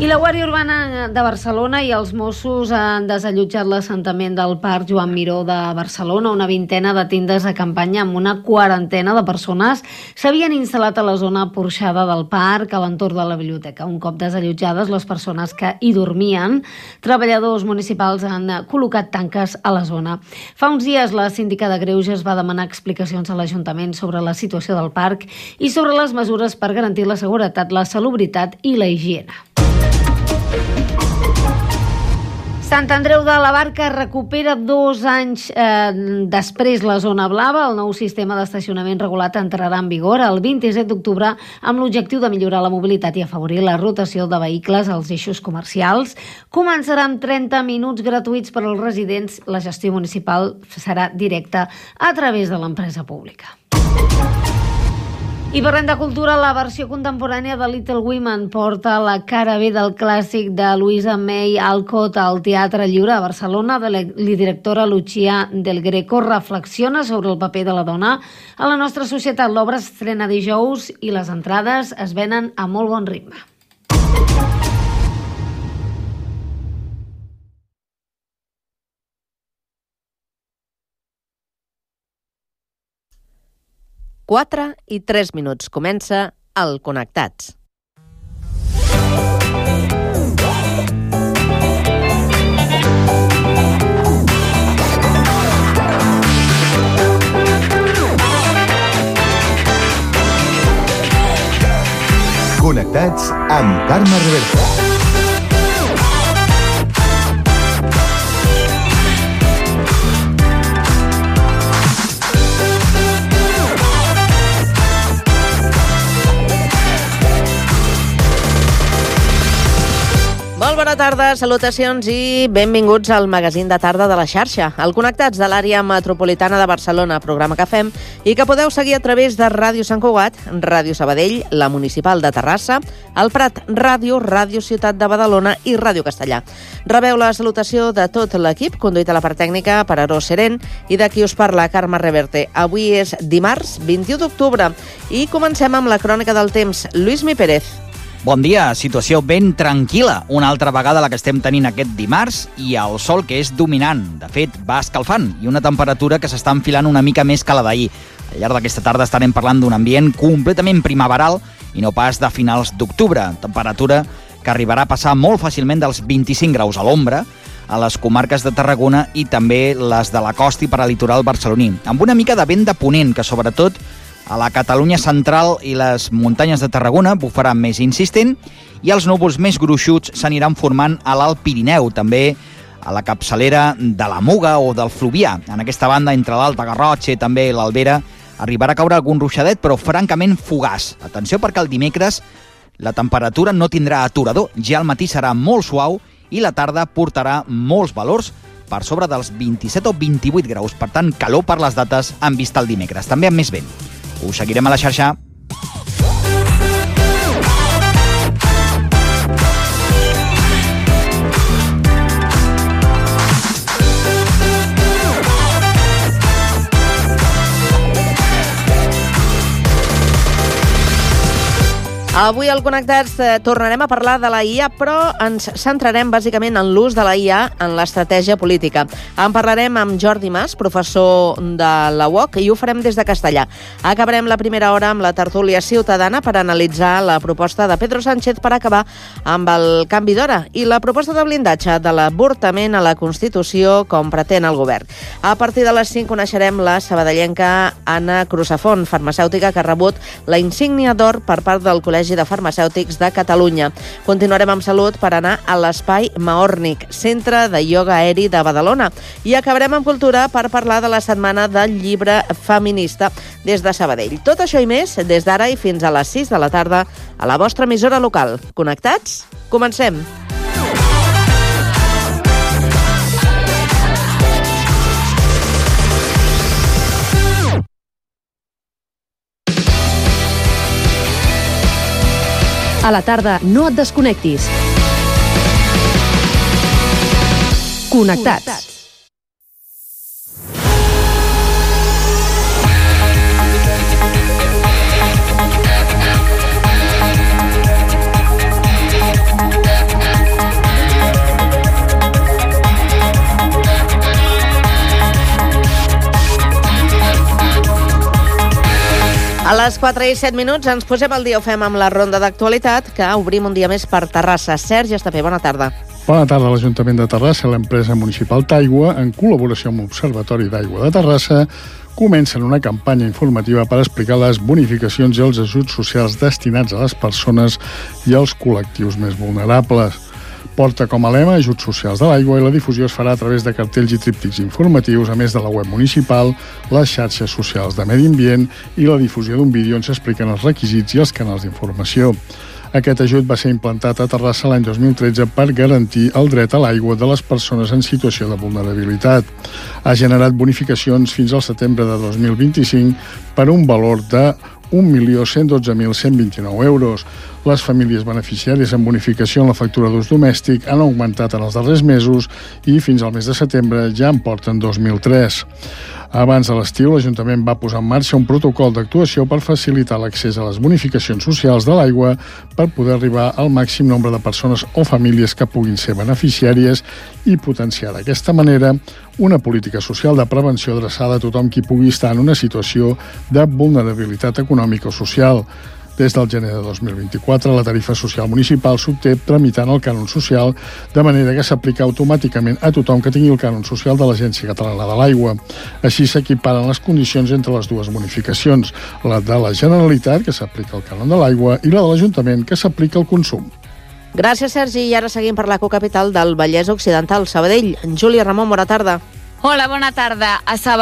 U: I la Guàrdia Urbana de Barcelona i els Mossos han desallotjat l'assentament del Parc Joan Miró de Barcelona. Una vintena de tendes de campanya amb una quarantena de persones s'havien instal·lat a la zona porxada del parc, a l'entorn de la biblioteca. Un cop desallotjades les persones que hi dormien, treballadors municipals han col·locat tanques a la zona. Fa uns dies la síndica de Greuges va demanar explicacions a l'Ajuntament sobre la situació del parc i sobre les mesures per garantir la seguretat, la salubritat i la higiene. Sant Andreu de la Barca recupera dos anys eh, després la zona blava. El nou sistema d'estacionament regulat entrarà en vigor el vint-i-set d'octubre amb l'objectiu de millorar la mobilitat i afavorir la rotació de vehicles als eixos comercials. Començarà amb trenta minuts gratuïts per als residents. La gestió municipal serà directa a través de l'empresa pública. I parlem de cultura, la versió contemporània de Little Women porta la cara B del clàssic de Louisa May Alcott al Teatre Lliure a Barcelona. La directora Lucia Del Greco reflexiona sobre el paper de la dona a la nostra societat. L'obra s'estrena dijous i les entrades es venen a molt bon ritme.
W: quatre i tres minuts. Comença el Connectats.
X: Connectats amb Carme Reverta.
W: Molt bona tarda, salutacions i benvinguts al magazín de tarda de la xarxa, el Connectats de l'àrea metropolitana de Barcelona, programa que fem i que podeu seguir a través de Ràdio Sant Cugat, Ràdio Sabadell, la Municipal de Terrassa, el Prat Ràdio, Ràdio Ciutat de Badalona i Ràdio Castellà. Rebeu la salutació de tot l'equip, conduït a la part tècnica per Aros Seren i de qui us parla, Carme Reverte. Avui és dimarts, vint-i-u d'octubre, i comencem amb la crònica del temps. Lluís Mi Pérez.
Y: Bon dia, situació ben tranquil·la, una altra vegada la que estem tenint aquest dimarts i el sol que és dominant. De fet, va escalfant i una temperatura que s'està enfilant una mica més que la d'ahir. Al llarg d'aquesta tarda estarem parlant d'un ambient completament primaveral i no pas de finals d'octubre. Temperatura que arribarà a passar molt fàcilment dels vint-i-cinc graus a l'ombra a les comarques de Tarragona i també les de la costa i per a litoral barceloní, amb una mica de vent de ponent que sobretot a la Catalunya central i les muntanyes de Tarragona bufarà més insistent i els núvols més gruixuts s'aniran formant a l'Alt Pirineu, també a la capçalera de la Muga o del Fluvià. En aquesta banda, entre l'Alta Garrotxa i també l'Albera, arribarà a caure algun ruixadet, però francament fugaç. Atenció perquè el dimecres la temperatura no tindrà aturador, ja al matí serà molt suau i la tarda portarà molts valors per sobre dels vint-i-set o vint-i-vuit graus, per tant, calor per les dates en vista el dimecres, també amb més vent. Us seguirem a la xarxa.
W: Avui al Connectats eh, tornarem a parlar de la I A, però ens centrarem bàsicament en l'ús de la I A en l'estratègia política. En parlarem amb Jordi Mas, professor de la U O C, i ho farem des de Castellà. Acabarem la primera hora amb la tertúlia ciutadana per analitzar la proposta de Pedro Sánchez per acabar amb el canvi d'hora i la proposta de blindatge de l'avortament a la Constitució com pretén el govern. A partir de les cinc coneixerem la sabadellenca Anna Crusafont, farmacèutica que ha rebut la insígnia d'or per part del Col·legi de Farmacèutics de Catalunya. Continuarem amb salut per anar a l'Espai Maornic, centre de ioga aeri de Badalona. I acabarem amb cultura per parlar de la setmana del llibre feminista des de Sabadell. Tot això i més des d'ara i fins a les sis de la tarda a la vostra emissora local. Connectats? Comencem!
A: A la tarda, no et desconnectis. Connectats.
W: A les quatre i set minuts ens posem al dia, ho fem amb la ronda d'actualitat, que obrim un dia més per Terrassa. Sergi Estapé, bona tarda.
B: Bona tarda. L'Ajuntament de Terrassa i l'empresa municipal Taigua, en col·laboració amb l'Observatori d'Aigua de Terrassa, comencen una campanya informativa per explicar les bonificacions i els ajuts socials destinats a les persones i als col·lectius més vulnerables. Porta com a lema ajuts socials de l'aigua i la difusió es farà a través de cartells i tríptics informatius, a més de la web municipal, les xarxes socials de medi ambient i la difusió d'un vídeo on s'expliquen els requisits i els canals d'informació. Aquest ajut va ser implantat a Terrassa l'any dos mil tretze per garantir el dret a l'aigua de les persones en situació de vulnerabilitat. Ha generat bonificacions fins al setembre de dos mil vint-i-cinc per un valor de un milió cent dotze mil cent vint-i-nou euros. Les famílies beneficiàries amb bonificació en la factura d'ús domèstic han augmentat en els darrers mesos i fins al mes de setembre ja en porten dos mil tres. Abans de l'estiu, l'Ajuntament va posar en marxa un protocol d'actuació per facilitar l'accés a les bonificacions socials de l'aigua per poder arribar al màxim nombre de persones o famílies que puguin ser beneficiàries i potenciar d'aquesta manera una política social de prevenció adreçada a tothom qui pugui estar en una situació de vulnerabilitat econòmica o social. Des del gener de dos mil vint-i-quatre, la tarifa social municipal s'obté tramitant el cànon social, de manera que s'aplica automàticament a tothom que tingui el cànon social de l'Agència Catalana de l'Aigua. Així s'equiparen les condicions entre les dues bonificacions, la de la Generalitat, que s'aplica el cànon de l'aigua, i la de l'Ajuntament, que s'aplica el consum.
W: Gràcies, Sergi. I ara seguim per la cocapital del Vallès Occidental, Sabadell. Júlia Ramon, bona tarda.
D: Hola, bona tarda. A Sabadell